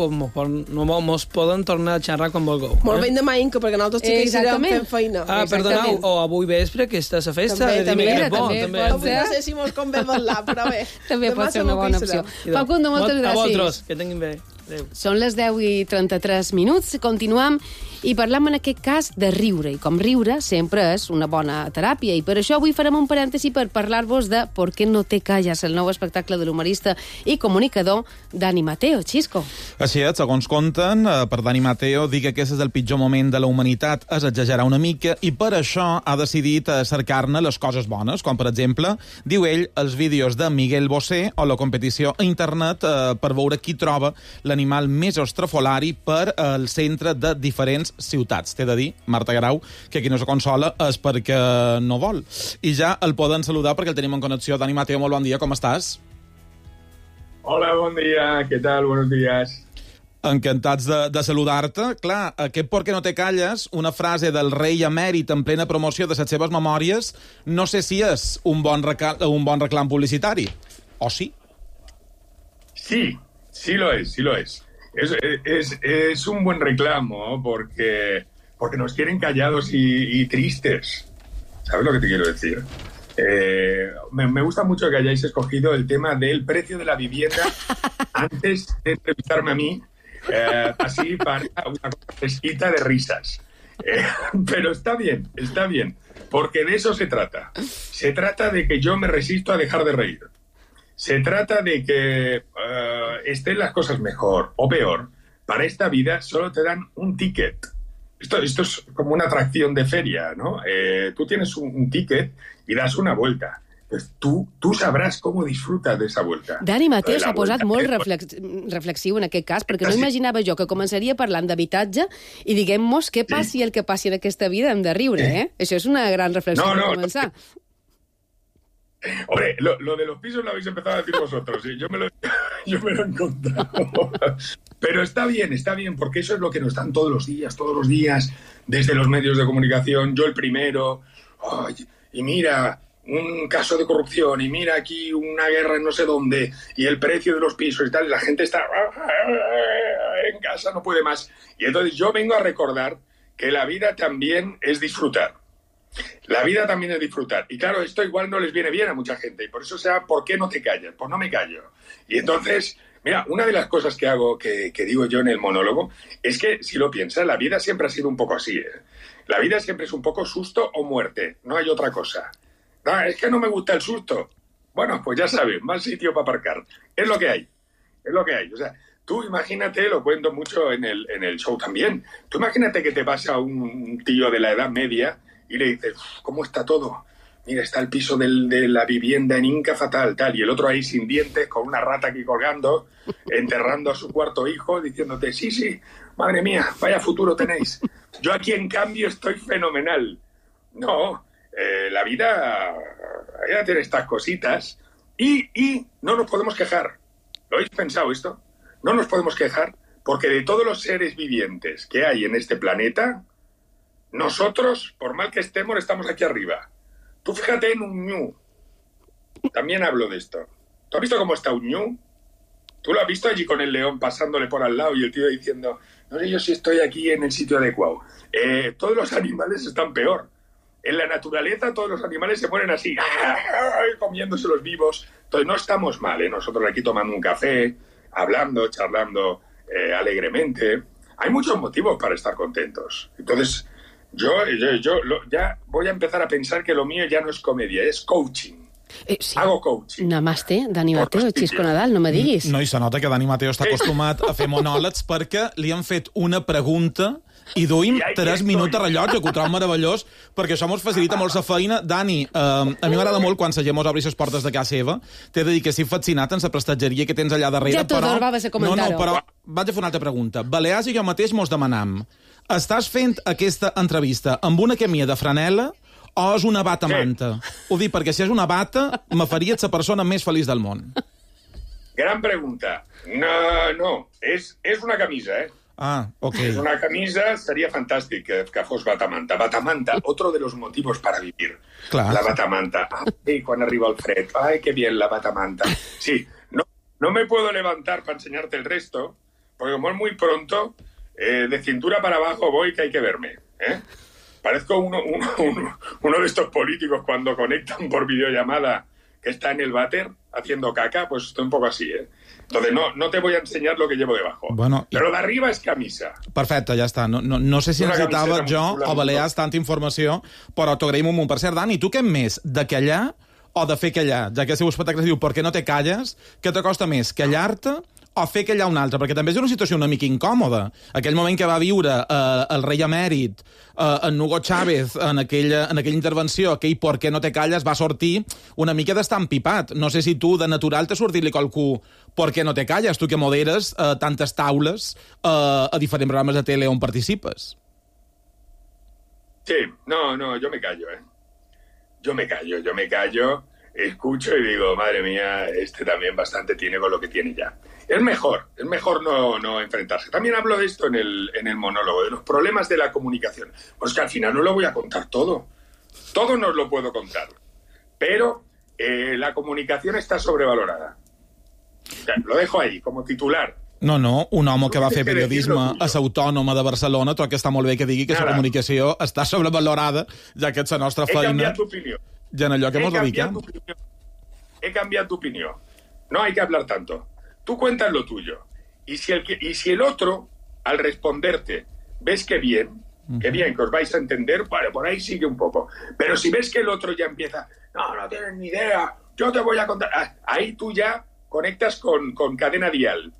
mos poden tornar a xerrar quan vulgueu. Molt ben demà, Inca, perquè nosaltres sí que seguirem fent feina. Perdoneu, o avui vespre, que està a la festa. També no sé si mos convé parlar, però bé. També pot ser una bona opció. Facundo, moltes gràcies. A vosaltres, que tinguin bé. Adéu. Són les 10:33. Continuem i parlem en aquest cas de riure, i com riure sempre és una bona teràpia, i per això avui farem un parèntesi per parlar-vos de ¿Por qué no te callas?, el nou espectacle de l'humorista i comunicador Dani Mateo. Xisco. Així és, segons conten, per Dani Mateo, dir que aquest és el pitjor moment de la humanitat és exagerar una mica, i per això ha decidit cercar-ne les coses bones, com per exemple, diu ell, els vídeos de Miguel Bosé o la competició a internet per veure qui troba l'animal més estrafolari per al centre de diferents ciutats. T'he de dir, Marta Grau, que qui no se consola és perquè no vol. I ja el poden saludar perquè el tenim en connexió. Dani Mateo, molt bon dia, com estàs? Hola, bon dia, què tal? Buenos días. Encantats de saludar-te. Clar, aquest ¿Por qué no te calles?, una frase del rei emèrit en plena promoció de les seves memòries, no sé si és un bon reclam publicitari. O sí? Sí, sí lo es, sí lo es. Es un buen reclamo porque nos quieren callados y tristes. ¿Sabes lo que te quiero decir? Me gusta mucho que hayáis escogido el tema del precio de la vivienda antes de entrevistarme a mí, así para una fresquita de risas. Pero está bien, porque de eso se trata. Se trata de que yo me resisto a dejar de reír. Se trata de que estén las cosas mejor o peor. Para esta vida solo te dan un ticket. Esto es como una atracción de feria, ¿no? Tú tienes un ticket y das una vuelta. Pues tú sabràs com disfrutar d'esa vuelta. Dani Mateo s'ha posat molt reflexiu en aquest cas, perquè no imaginava jo que començaria parlant d'habitatge i diguem-nos què passi el que passi en aquesta vida, hem de riure, eh? Això és una gran reflexió per començar. Hombre, lo de los pisos lo habéis empezado a decir vosotros, ¿sí? Yo me lo he encontrado. Pero está bien, porque eso es lo que nos dan todos los días, desde los medios de comunicación, yo el primero, y mira, un caso de corrupción, y mira aquí una guerra en no sé dónde, y el precio de los pisos y tal, y la gente está en casa, no puede más. Y entonces yo vengo a recordar que la vida también es disfrutar. La vida también es disfrutar. Y claro, esto igual no les viene bien a mucha gente. Y por eso sea, ¿por qué no te callas? Pues no me callo. Y entonces, mira, una de las cosas que hago, que digo yo en el monólogo, es que, si lo piensas, la vida siempre ha sido un poco así, ¿eh? La vida siempre es un poco susto o muerte. No hay otra cosa. No, es que no me gusta el susto. Bueno, pues ya sabes, más sitio para aparcar. Es lo que hay. O sea, tú imagínate, lo cuento mucho en el show también, tú imagínate que te pasa un tío de la Edad Media y le dices, ¿cómo está todo? Mira, está el piso de la vivienda en Inca fatal, tal, y el otro ahí sin dientes, con una rata aquí colgando, enterrando a su cuarto hijo, diciéndote, sí, madre mía, vaya futuro tenéis. Yo aquí, en cambio, estoy fenomenal. No, la vida tiene estas cositas y no nos podemos quejar. ¿Lo habéis pensado esto? No nos podemos quejar porque de todos los seres vivientes que hay en este planeta, nosotros, por mal que estemos, estamos aquí arriba. Tú fíjate en un ñu. También hablo de esto. ¿Tú has visto cómo está un ñu? ¿Tú lo has visto allí con el león pasándole por al lado y el tío diciendo, no sé yo si estoy aquí en el sitio adecuado? Todos los animales están peor. En la naturaleza todos los animales se mueren así, comiéndose los vivos. Entonces no estamos mal, ¿eh? Nosotros aquí tomando un café, hablando, charlando alegremente. Hay muchos motivos para estar contentos. Entonces, yo ya voy a empezar a pensar que lo mío ya no es comedia, es coaching. Sí. Hago coaching. Namaste, Dani Mateo, Xisco Nadal, no me diguis. No, i se nota que Dani Mateo està acostumat a fer monòlegs perquè li han fet una pregunta I duim 3 minuts de rellotge, que ho trobo meravellós, perquè això mos facilita molt la feina. Dani, a mi m'agrada molt quan la gent mos obri les portes de casa seva. T'he de dir que estic fascinat en la prestatgeria que tens allà darrere. Ja tot vas a comentar-ho. No, però vaig a fer una altra pregunta. Balears i jo mateix mos demanam, estàs fent aquesta entrevista amb una camisa de franela o és una bata manta? Ho dic perquè si és una bata, me faries la persona més feliç del món. Gran pregunta. No, és una camisa, Ah, ok. Es una camisa, sería fantástico que fos batamanta. Batamanta, otro de los motivos para vivir. Claro. La batamanta. Ay, cuando arriba el fred. Ay, qué bien la batamanta. Sí, no me puedo levantar para enseñarte el resto, porque como es muy pronto, de cintura para abajo voy que hay que verme. Parezco uno de estos políticos cuando conectan por videollamada que está en el váter haciendo caca, pues estoy un poco así, Entonces no te voy a enseñar lo que llevo debajo. Bueno, però d'arriba és camisa. Perfecte, ja està. No sé si necessitava jo o Balears tanta informació, però t'ho agraïm un munt. Per cert, Dani, tu què més, de callar o de fer callar? Ja que el seu espectacle es diu ¿Por qué no te calles? Què t'acosta més, callar-te o fer callar un altre? Perquè també és una situació una mica incòmoda. Aquell moment que va viure el rei emèrit, en Hugo Chávez, en aquella intervenció, aquell ¿Por qué no te calles? Va sortir una mica d'estar empipat. No sé si tu, de natural, t'ha sortit-li qualcú ¿Por qué no te calles? Tu que moderes tantes taules a diferents programes de tele on participes. Sí, no, yo me callo, Yo me callo, escucho y digo, madre mía, este también bastante tiene con lo que tiene ya. Es mejor no enfrentarse. También hablo de esto en el monólogo, de los problemas de la comunicación. Pues que al final no lo voy a contar todo. Todo no os lo puedo contar. Pero la comunicación está sobrevalorada. O sea, lo dejo ahí, como titular. No, un home que va fer periodisme a l'Autònoma de Barcelona, trobo que està molt bé que digui que la comunicació està sobrevalorada, ja que és la nostra feina. He cambiat d'opinió. I en allò que mos dediquem. He cambiado tu opinión. No hay que hablar tanto. Tú cuentas lo tuyo. Y si el otro, al responderte, ves que bien, que os vais a entender, vale, por ahí sigue un poco. Pero si ves que el otro ya empieza, no tienes ni idea, yo te voy a contar. Ahí tú ya conectas con cadena dial.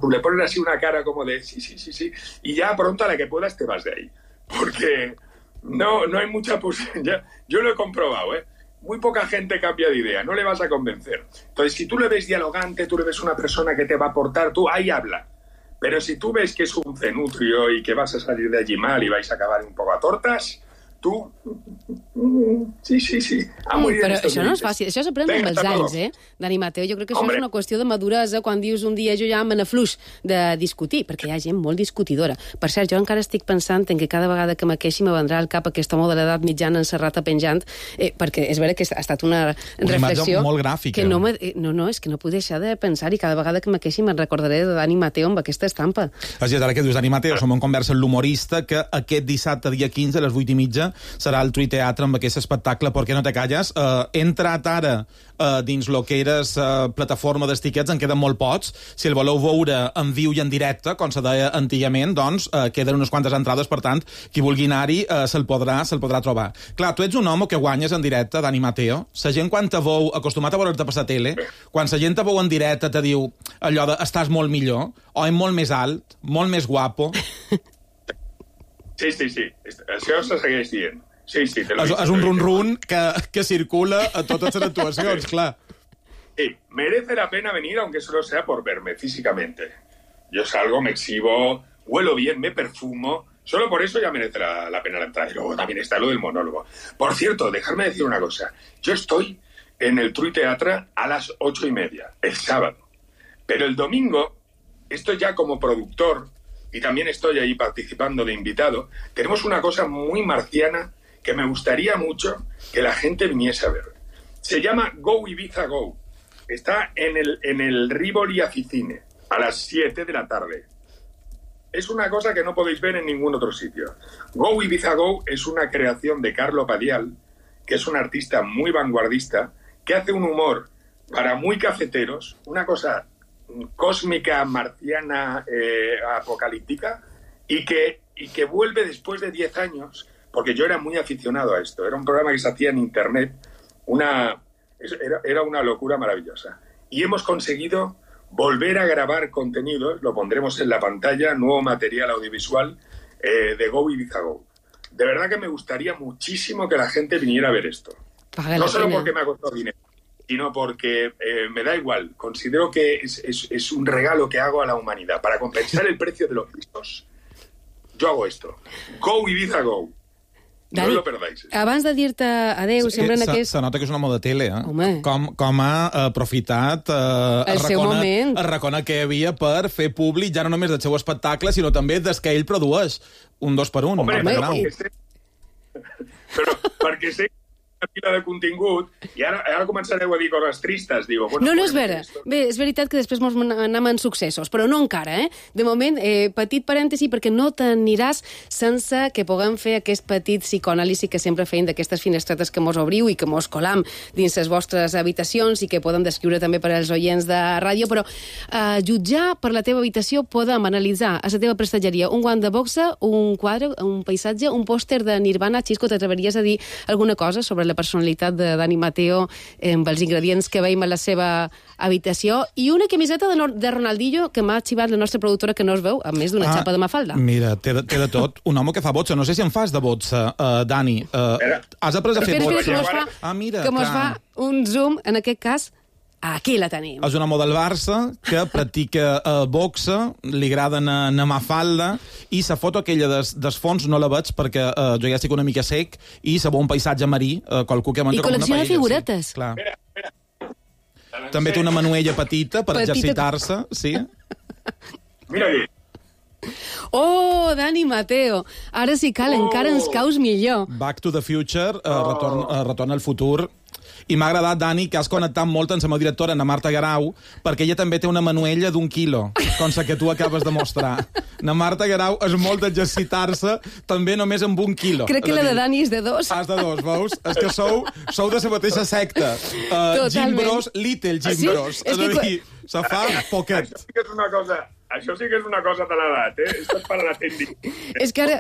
Tú le pones así una cara como de sí. Y ya pronto a la que puedas te vas de ahí. Porque no hay mucha posibilidad. Yo lo he comprobado, Muy poca gente cambia de idea, no le vas a convencer. Entonces, si tú le ves dialogante, tú le ves una persona que te va a aportar, tú ahí habla. Pero si tú ves que es un cenutrio y que vas a salir de allí mal y vais a acabar un poco a tortas, tu... Sí. Però això no és fàcil, això s'aprèn amb els anys, Dani Mateo. Jo crec que això és una qüestió de maduresa quan dius un dia jo ja me n'afluix de discutir, perquè hi ha gent molt discutidora. Per cert, jo encara estic pensant en que cada vegada que me queixi me vendrà al cap aquest home de l'edat mitjana encerrata penjant, perquè és vera que ha estat una reflexió... Una imatge molt gràfica. Que no, és que no puc deixar de pensar i cada vegada que me queixi me'n recordaré de Dani Mateo amb aquesta estampa. Així és, ara que dius Dani Mateo, som en conversa amb l'humorista que aquest dissabte, dia 15, a les 8:30, serà al Trui Teatre amb aquest espectacle ¿Por qué no te calles? He entrat ara dins lo que eres plataforma dels tiquets, en queden molt pocs. Si el voleu veure en viu i en directe, com se deia antigament, doncs queden unes quantes entrades, per tant, qui vulgui anar-hi se'l podrà trobar. Clar, tu ets un home que guanyes en directe, Dani Mateo. La gent quan te veu, acostumat a veure'l per la tele, quan la gent te veu en directe te diu allò de estàs molt millor, o és molt més alt, molt més guapo. Sí. Això se segueix dient. Sí, te lo he dicho. És un run-run que circula a totes les actuacions, clar. Sí, merece la pena venir, aunque solo sea por verme físicamente. Yo salgo, me exhibo, huelo bien, me perfumo. Solo por eso ya merece la pena la entrada. Y luego también está lo del monólogo. Por cierto, dejadme decir una cosa. Yo estoy en el Trui Teatre a las 8:30, el sábado. Pero el domingo, esto ya como productor, y también estoy ahí participando de invitado, tenemos una cosa muy marciana que me gustaría mucho que la gente viniese a ver. Se llama Go Ibiza Go. Está en el Rivoli Aficine, a las 7 de la tarde. Es una cosa que no podéis ver en ningún otro sitio. Go Ibiza Go es una creación de Carlo Padial, que es un artista muy vanguardista, que hace un humor para muy cafeteros, una cosa cósmica, marciana, apocalíptica, y que vuelve después de 10 años... Porque yo era muy aficionado a esto. Era un programa que se hacía en Internet. Era una locura maravillosa. Y hemos conseguido volver a grabar contenidos, lo pondremos en la pantalla, nuevo material audiovisual de Go Ibiza Go. De verdad que me gustaría muchísimo que la gente viniera a ver esto. No solo porque me ha costado dinero, sino porque me da igual. Considero que es un regalo que hago a la humanidad. Para compensar el precio de los pisos, yo hago esto. Go Ibiza Go. Dani, no lo perdáis. Abans de dir-te adeu, sempre en aquest... Se nota que és un home de tele, com ha aprofitat a reconar que hi havia per fer públic ja no només del seu espectacle, sinó també des que ell produeix un 2x1. Home, però perquè sé una pila de contingut i ara començareu a dir coses tristes. Digo, bueno, no és vera. Bé, és veritat que després mos anem en successos, però no encara, eh? De moment, petit parèntesi, perquè no t'aniràs sense que puguem fer aquest petit psicoanàlisi que sempre feim d'aquestes finestretes que mos obriu i que mos colam dins les vostres habitacions i que podem descriure també per als oients de ràdio, però jutjar per la teva habitació podem analitzar a la teva prestatgeria un guant de boxa, un quadre, un paisatge, un pòster de Nirvana. Xisco, t'atreveries a dir alguna cosa sobre la personalitat de Dani Mateo amb els ingredients que veiem a la seva habitació i una camiseta de Ronaldinho que m'ha arxivat la nostra productora que no es veu, a més d'una xapa de Mafalda. Mira, té de tot. Un home que fa botxa. No sé si en fas de botxa, Dani. Has après a fer botxa? Que mos fa un zoom, en aquest cas, aquí la tenim. És un home del Barça que practica boxa, li agrada anar a Mafalda, i la foto aquella des fons no la veig perquè jo ja estic una mica sec, i se veu un paisatge marí, qualcú que menja com una paella. I col·lecciona figuretes. Sí, clar. També té una manuella petita per exercitar-se, sí. Mira aquí. Oh, Dani Mateo. Ara sí cal, encara ens caus millor. Back to the Future, retorna al futur. I m'ha agradat, Dani, que has connectat molt amb la meva directora, na Marta Garau, perquè ella també té una manuella d'1 quilo, com la que tu acabes de mostrar. Na Marta Garau és molt d'exercitar-se, també només amb 1 quilo. Crec que la de Dani és de 2. És de 2, veus? És que sou de la mateixa secta. Jim Bros, Little Jim Bros. És a dir, se fa poquet. Això sí que és una cosa de l'edat, eh? Esto es para la tendi. És que ara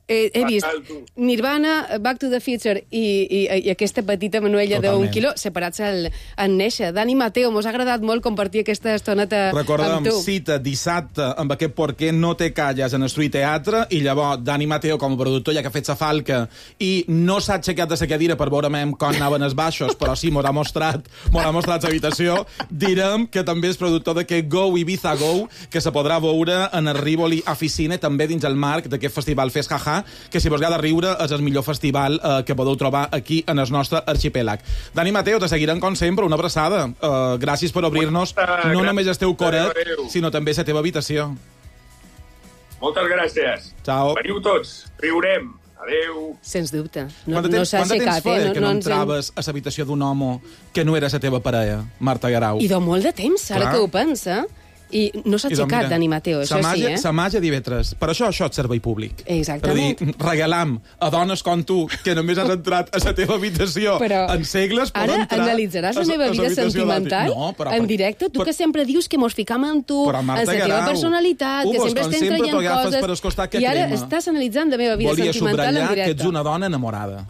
he vist Nirvana, Back to the Future i aquesta petita manuella d'1 quilo separats en néixer. Dani Mateo, mos ha agradat molt compartir aquesta estoneta amb tu. Recorda'm, cita dissabte amb aquest Por qué no te calles en el Street Teatre, i llavors Dani Mateo, com a productor, ja que ha fet sa falca i no s'ha aixecat de sa cadira per veure com anaven els baixos, però sí, m'ho ha mostrat l'habitació, direm que també és productor d'aquest Go Ibiza Go, que se podrà veure en el Rivoli Officine, també dins el marc d'aquest festival Fes Jaja, que si vos agrada riure és el millor festival que podeu trobar aquí en el nostre arxipèlag. Dani Mateo, te seguirem com sempre, una abraçada. Gràcies per obrir-nos no només el teu coret, sinó també la teva habitació. Moltes gràcies. Ciao. Veniu tots, riurem. Adéu. Sens dubte. Quant de temps feia que no entraves a l'habitació d'un home que no era la teva parella, Marta Garau? I de molt de temps, ara que ho pensa. I no s'ha aixecat, Dani Mateo, això sí, eh? Sa màgia d'IV3. Per això és servei públic. Exactament. Per dir, regalam a dones com tu, que només has entrat a la teva habitació en segles, poden entrar... Ara analitzaràs la meva vida sentimental en directe? Tu que sempre dius que mos ficam amb tu, en la teva personalitat, que sempre estem traient coses, i ara estàs analitzant la meva vida sentimental en directe. Volia subratllar que ets una dona enamorada.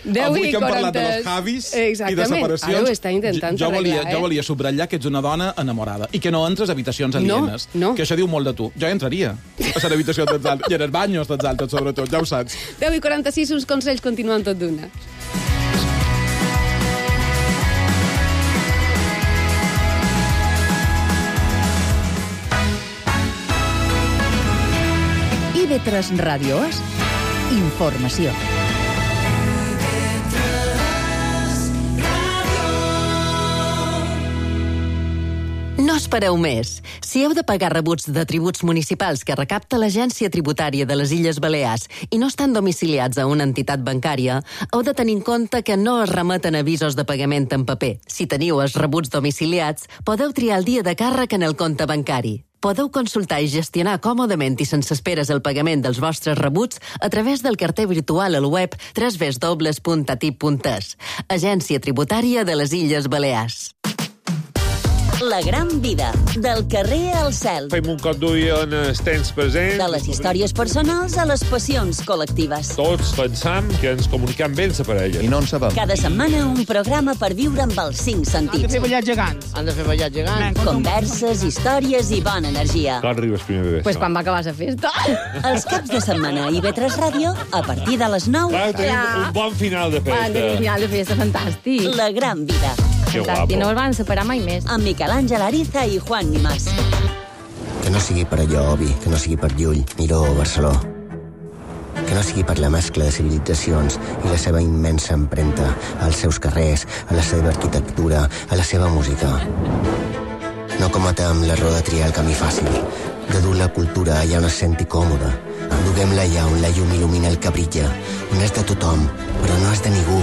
10 Avui que hem 40... parlat de los Javis i de separacions, ara ho està intentant arreglar, jo volia subratllar que ets una dona enamorada i que no entres a habitacions alienes. No. Que això diu molt de tu. Jo entraria a l'habitació dels altres, i en els banyos dels altres, sobretot, ja ho saps. 10 i 46, uns consells continuen tot d'una. IB3 Ràdio és informació. No espereu més. Si heu de pagar rebuts de tributs municipals que recapta l'Agència Tributària de les Illes Balears i no estan domiciliats a una entitat bancària, heu de tenir en compte que no es remeten avisos de pagament en paper. Si teniu els rebuts domiciliats, podeu triar el dia de càrrec en el compte bancari. Podeu consultar i gestionar còmodament i sense esperes el pagament dels vostres rebuts a través del carter virtual al web www.atip.es. Agència Tributària de les Illes Balears. La gran vida, del carrer al cel. Fem un cop d'ull en els temps presents. De les històries personals a les passions col·lectives. Tots pensam que ens comuniquem bé amb la parella. I no en sabem. Cada setmana un programa per viure amb els 5 sentits. Han de fer ballar gegants. Han de fer ballar gegants. Converses, històries i bona energia. Quan arriba el primer bebè? Pues quan va acabar la festa. Els caps de setmana a IB3 Ràdio, a partir de les 9. Clar, tenim un bon final de festa. Tenim un final de festa fantàstic. La gran vida. Que guapo. I no els van separar mai més. Amb Miquel Àngel Ariza i Juan Nimás. Que no sigui per allò, Obi, que no sigui per Llull, Miró o Barceló. Que no sigui per la mescla de civilitzacions i la seva immensa empremta als seus carrers, a la seva arquitectura, a la seva música. No cometem l'error de triar el camí fàcil, de dur la cultura allà on es senti còmode. Duguem-la allà on la llum il·lumina el que brilla, on és de tothom, però no és de ningú.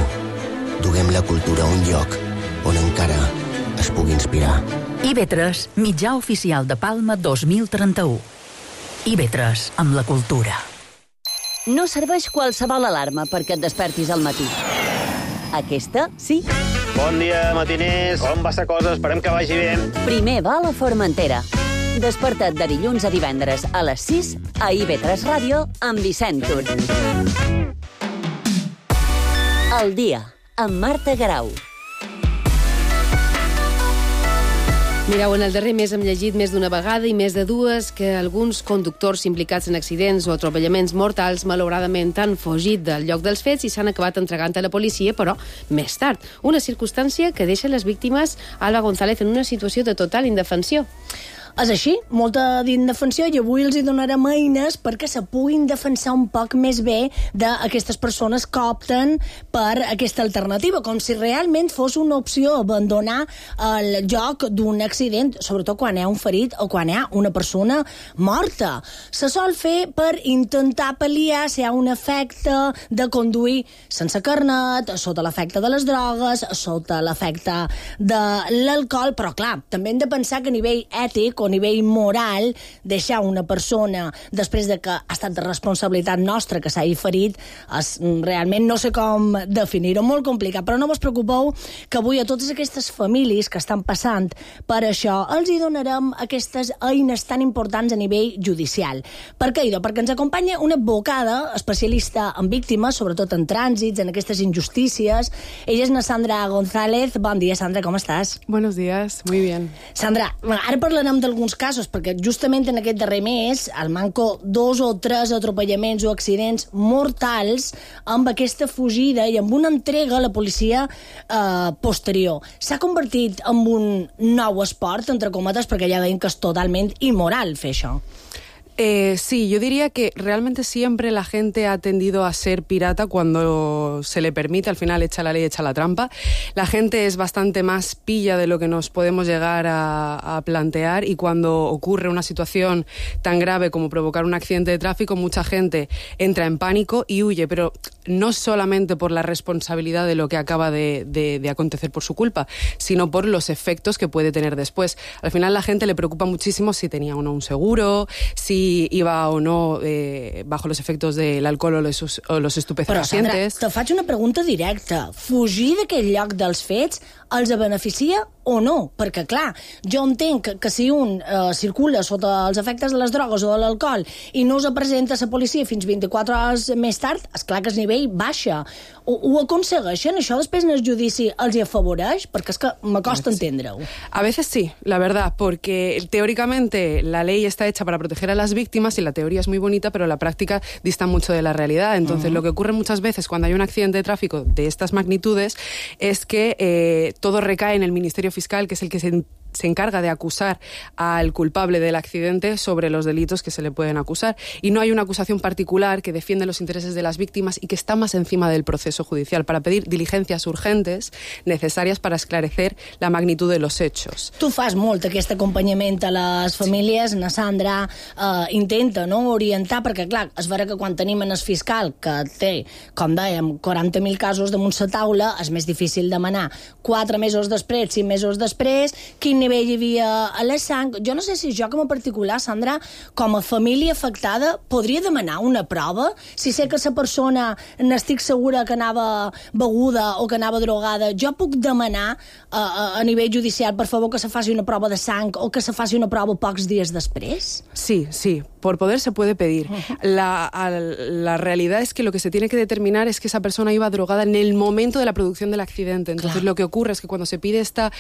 Duguem la cultura a un lloc on encara es pugui inspirar. IB3, mitjà oficial de Palma 2031. IB3, amb la cultura. No serveix qualsevol alarma perquè et despertis al matí. Aquesta, sí. Bon dia, matiners. Com va la cosa? Esperem que vagi bé. Primer vol a Formentera. Desperta't de dilluns a divendres a les 6 a IB3 Ràdio amb Vicent Tur. El dia, amb Marta Garau. Mireu, en el darrer mes hem llegit més d'una vegada i més de dues que alguns conductors implicats en accidents o atropellaments mortals malauradament han fugit del lloc dels fets i s'han acabat entregant a la policia, però més tard. Una circumstància que deixa les víctimes, Alba González, en una situació de total indefensió. És així, molta d'indefensió, i avui els hi donarem eines perquè se puguin defensar un poc més bé d'aquestes persones que opten per aquesta alternativa, com si realment fos una opció abandonar el lloc d'un accident, sobretot quan hi ha un ferit o quan hi ha una persona morta. Se sol fer per intentar pal·liar si hi ha un efecte de conduir sense carnet, sota l'efecte de les drogues, sota l'efecte de l'alcohol, però clar, també hem de pensar que a nivell ètic o a nivell moral, deixar una persona després de que ha estat de responsabilitat nostra que s'hagi ferit, realment no sé com definir-ho, molt complicat, però no vos preocupeu que avui a totes aquestes famílies que estan passant per això els hi donarem aquestes eines tan importants a nivell judicial. Per què, idò? Perquè ens acompanya una advocada especialista en víctimes, sobretot en trànsits, en aquestes injustícies. Ella és na Sandra González. Bon dia, Sandra, com estàs? Buenos días, muy bien. Sandra, ara parlarem d'alguns casos, perquè justament en aquest darrer mes al manco 2 o 3 atropellaments o accidents mortals amb aquesta fugida i amb una entrega a la policia posterior. S'ha convertit en un nou esport, entre cometes, perquè ja deien que és totalment immoral fer això. Sí, yo diría que realmente siempre la gente ha tendido a ser pirata cuando se le permite, al final echa la ley, echa la trampa. La gente es bastante más pilla de lo que nos podemos llegar a plantear, y cuando ocurre una situación tan grave como provocar un accidente de tráfico, mucha gente entra en pánico y huye, pero no solamente por la responsabilidad de lo que acaba de acontecer por su culpa, sino por los efectos que puede tener después. Al final la gente le preocupa muchísimo si tenía o no un seguro, si iba o no bajo los efectos del alcohol o los estupefacientes. Però, Sandra, te faig una pregunta directa. Fugir d'aquell lloc dels fets els beneficia o no? Perquè, clar, jo entenc que si un circula sota els efectes de les drogues o de l'alcohol i no us presenta a la policia fins 24 hores més tard, esclar que el nivell baixa. Ho aconsegueixen? Això després en el judici els hi afavoreix? Perquè és que m'acosta entendre-ho. A veces sí, la verdad, porque teóricamente la ley está hecha para proteger a las víctimas y la teoría es muy bonita, pero la práctica dista mucho de la realidad. Entonces, lo que ocurre muchas veces cuando hay un accidente de tráfico de estas magnitudes es que todo recae en el Ministerio Fiscal, que es el que se encarga de acusar al culpable del accidente sobre los delitos que se le pueden acusar. Y no hay una acusación particular que defiende los intereses de las víctimas y que está más encima del proceso judicial para pedir diligencias urgentes necesarias para esclarecer la magnitud de los hechos. Tu fas molt aquest acompanyament a les famílies. Na Sandra intenta orientar, perquè clar, és vera que quan tenim en el fiscal que té, com dèiem, 40.000 casos damunt la taula, és més difícil demanar 4 mesos després, 5 mesos després, quin nivell hi havia a la sang. Jo no sé si jo, com a particular, Sandra, com a família afectada, podria demanar una prova? Si sé que la persona n'estic segura que anava beguda o que anava drogada, jo puc demanar a nivell judicial, per favor, que se faci una prova de sang o que se faci una prova pocs dies després? Sí, por poder se puede pedir. La realidad es que lo que se tiene que determinar es que esa persona iba drogada en el momento de la producción del accidente. Entonces, lo que ocurre es que cuando se pide esta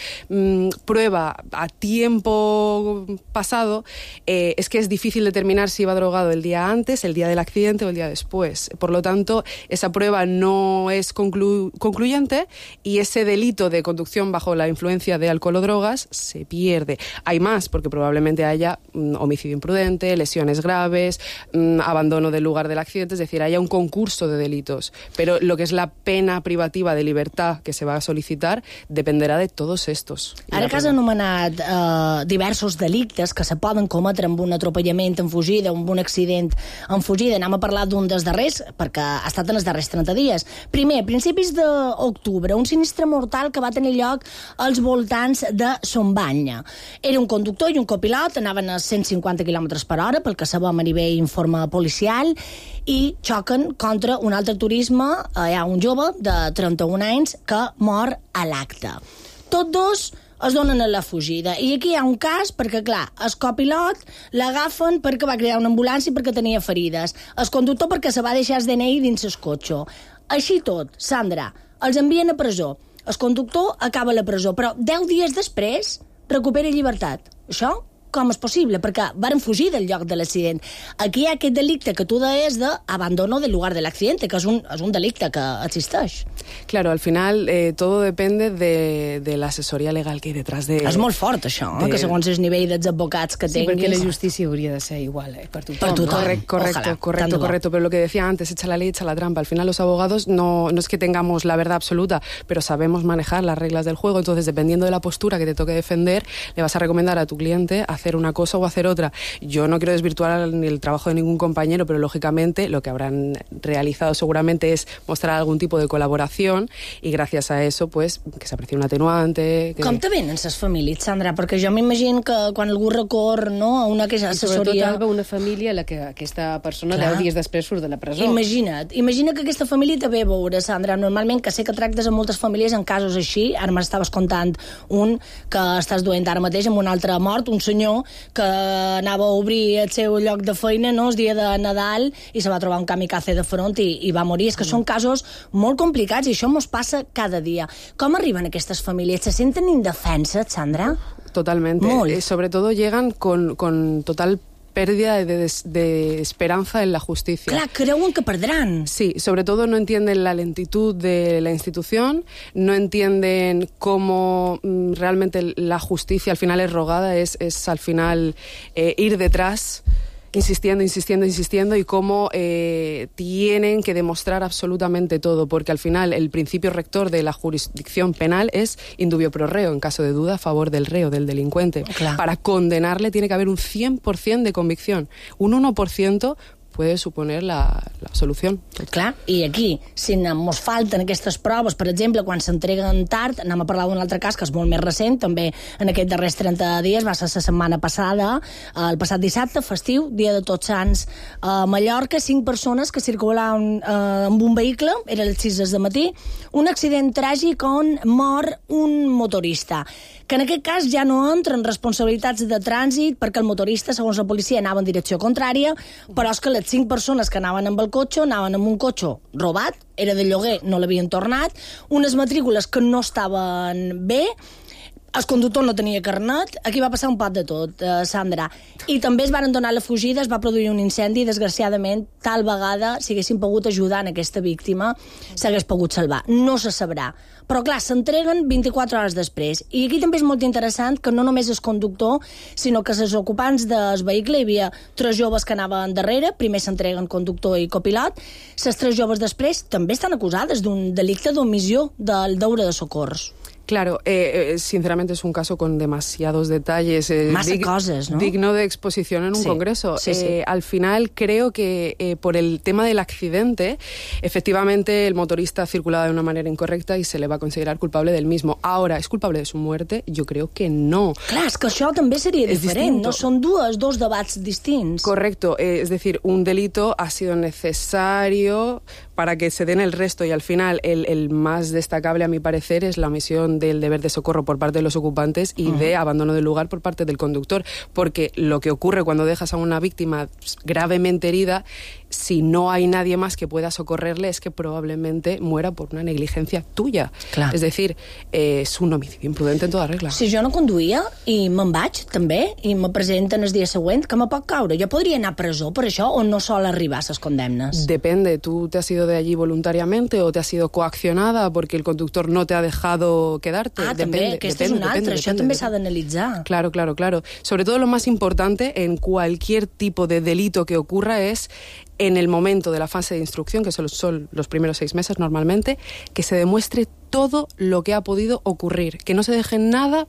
prueba a tiempo pasado, es que es difícil determinar si iba drogado el día antes, el día del accidente o el día después. Por lo tanto, esa prueba no es concluyente y ese delito de conducción bajo la influencia de alcohol o drogas se pierde. Hay más, porque probablemente haya homicidio imprudente, lesiones graves, abandono del lugar del accidente, es decir, haya un concurso de delitos. Pero lo que es la pena privativa de libertad que se va a solicitar dependerà de tots estos. Ara que has anomenat diversos delictes que se poden cometre amb un atropellament en fugida, amb un accident en fugida, anem a parlar d'un dels darrers, perquè ha estat en els darrers 30 dies. Primer, a principis d'octubre, un sinistre mortal que va tenir lloc als voltants de Sombanya. Era un conductor i un copilot, anaven a 150 km per hora, pel que sabem a nivell informe policial, i xoquen contra un altre turisme. Hi ha un jove de 31 anys que mor a l'acte. Tots dos es donen a la fugida. I aquí hi ha un cas perquè, clar, el copilot l'agafen perquè va cridar una ambulància perquè tenia ferides. El conductor perquè se va deixar el DNI dins el cotxe. Així tot, Sandra, els envien a presó. El conductor acaba a la presó, però 10 dies després recupera llibertat. Això com és possible? Perquè varen fugir del lloc de l'accident. Aquí hi ha aquest delicte que tu deies d'abandono del lugar de l'accidente, que és un delicte que existeix. Claro, al final todo depende de la asesoría legal que hay detrás de... És molt fort, això, que segons el nivell dels advocats que tinguis... Sí, perquè la justícia hauria de ser igual, per tothom. Per tothom. Correcto. Pero lo que decía antes, echa la ley, echa la trampa. Al final los abogados no es que tengamos la verdad absoluta, pero sabemos manejar las reglas del juego. Entonces, dependiendo de la postura que te toque defender, le vas a recomendar a tu cliente hacer una cosa o hacer otra. Yo no quiero desvirtuar el trabajo de ningún compañero, pero lógicamente lo que habrán realizado seguramente es mostrar algún tipo de colaboración y gracias a eso, pues, que s'aprecie un atenuante... Com te venen les famílies, Sandra? Perquè jo m'imagino que quan algú recor a una assessoria... I sobretot, Alba, una família a la que aquesta persona 10 dies després surt de la presó. Imagina que aquesta família te ve a veure, Sandra. Normalment, que sé que tractes amb moltes famílies en casos així. Ara m'estaves contant un que estàs duent ara mateix amb un altre mort, un senyor que anava a obrir el seu lloc de feina el dia de Nadal i se va trobar un kamikaze de front i va morir. És que són casos molt complicats i això mos passa cada dia. Com arriben aquestes famílies? Se senten indefenses, Sandra? Totalmente. Sobre todo llegan con total pérdida de esperanza en la justicia. Clar, creuen que perdran. Sí, sobre todo no entienden la lentitud de la institución, no entienden cómo realmente la justicia al final es rogada, es al final ir detrás, insistiendo y cómo tienen que demostrar absolutamente todo, porque al final el principio rector de la jurisdicción penal es indubio pro reo, en caso de duda a favor del reo, del delincuente. Clar. Para condenarle tiene que haber un 100% de convicción, un 1% puede suponer la absolució. Clar, i aquí, si mos falten aquestes proves, per exemple, quan s'entreguen tard, anem a parlar d'un altre cas que és molt més recent, també en aquests darrers 30 dies, va ser la setmana passada, el passat dissabte, festiu, dia de Tots Sants, a Mallorca, 5 persones que circulaven amb un vehicle, era les 6 del matí, un accident tràgic on mor un motorista, que en aquest cas ja no entren responsabilitats de trànsit perquè el motorista, segons la policia, anava en direcció contrària, però és que les 5 persones que anaven amb el cotxe anaven amb un cotxe robat, era de lloguer, no l'havien tornat, unes matrícules que no estaven bé, el conductor no tenia carnet, aquí va passar un pot de tot, Sandra. I també es van donar la fugida, es va produir un incendi, desgraciadament, tal vegada, si haguessin pogut ajudar en aquesta víctima, s'hagués pogut salvar. No se sabrà. Però, clar, s'entreguen 24 hores després. I aquí també és molt interessant que no només el conductor, sinó que els ocupants del vehicle, hi havia 3 joves que anaven darrere, primer s'entreguen conductor i copilot, les 3 joves després també estan acusades d'un delicte d'omissió del deure de socors. Claro, sinceramente es un caso con demasiados detalles. Más cosas, ¿no? Digno de exposición en un congreso. Al final creo que por el tema del accidente, efectivamente el motorista circulaba de una manera incorrecta y se le va a considerar culpable del mismo. Ahora, ¿es culpable de su muerte? Yo creo que no. Clar, és que això també seria diferent. Distinto. No són dos debats distints. Correcto, es decir, un delito ha sido necesario para que se den el resto, y al final el más destacable, a mi parecer, es la omisión del deber de socorro por parte de los ocupantes y de abandono del lugar por parte del conductor, porque lo que ocurre cuando dejas a una víctima gravemente herida, si no hay nadie más que pueda socorrerle, es que probablemente muera por una negligencia tuya. Clar. Es decir, es un homicidio imprudente en toda regla. Si jo no conduïa i me'n vaig, també, i me presenten el dia següent, que me pot caure? Jo podria anar a presó per això o no sol arribar a les condemnes? Depende, ¿tú te has ido de allí voluntariamente o te has sido coaccionada porque el conductor no te ha dejado quedarte? També, aquesta és una altra, això també s'ha d'analitzar. Claro. Sobre todo lo más importante en cualquier tipo de delito que ocurra es en el momento de la fase de instrucción, que son los primeros 6 meses normalmente, que se demuestre todo lo que ha podido ocurrir, que no se deje nada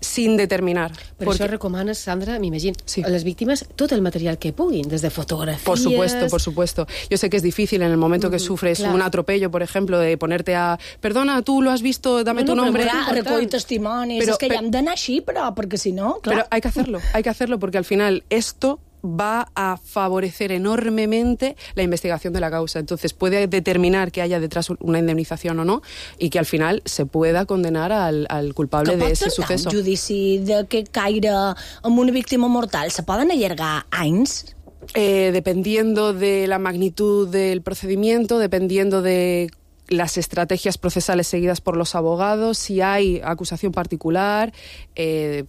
sin determinar. Per això recomanes, Sandra, m'imagino, a les víctimes tot el material que puguin, des de fotografies... Por supuesto. Yo sé que es difícil en el momento que sufres un atropello, por ejemplo, de ponerte a... Perdona, tú lo has visto, dame tu nombre. Recollir testimonis, és que ja hem d'anar així, però perquè si no... Pero hay que hacerlo porque al final esto va a favorecer enormemente la investigación de la causa. Entonces puede determinar que haya detrás una indemnización o no y que al final se pueda condenar al culpable de ese suceso. Que pot tardar un judici de que caire amb una víctima mortal? Se poden allargar anys? Dependiendo de la magnitud del procedimiento, dependiendo de las estrategias procesales seguidas por los abogados, si hay acusación particular,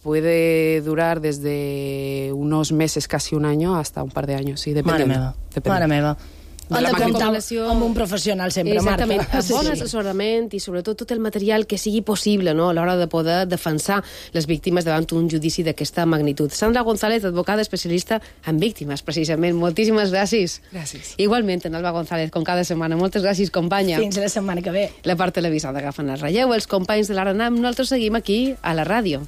puede durar desde unos meses, casi un año, hasta un par de años. Sí, dependiendo. Mare meva. Han de comptar amb un professional sempre, Marta. Exactament, bon assessorament i sobretot tot el material que sigui possible, no?, a l'hora de poder defensar les víctimes davant un judici d'aquesta magnitud. Sandra González, advocada especialista en víctimes, precisament. Moltíssimes gràcies. Gràcies. Igualment, en Alba González, com cada setmana. Moltes gràcies, companya. Fins la setmana que ve. La part televisada agafen el relleu. Els companys de l'Aranam, nosaltres seguim aquí a la ràdio.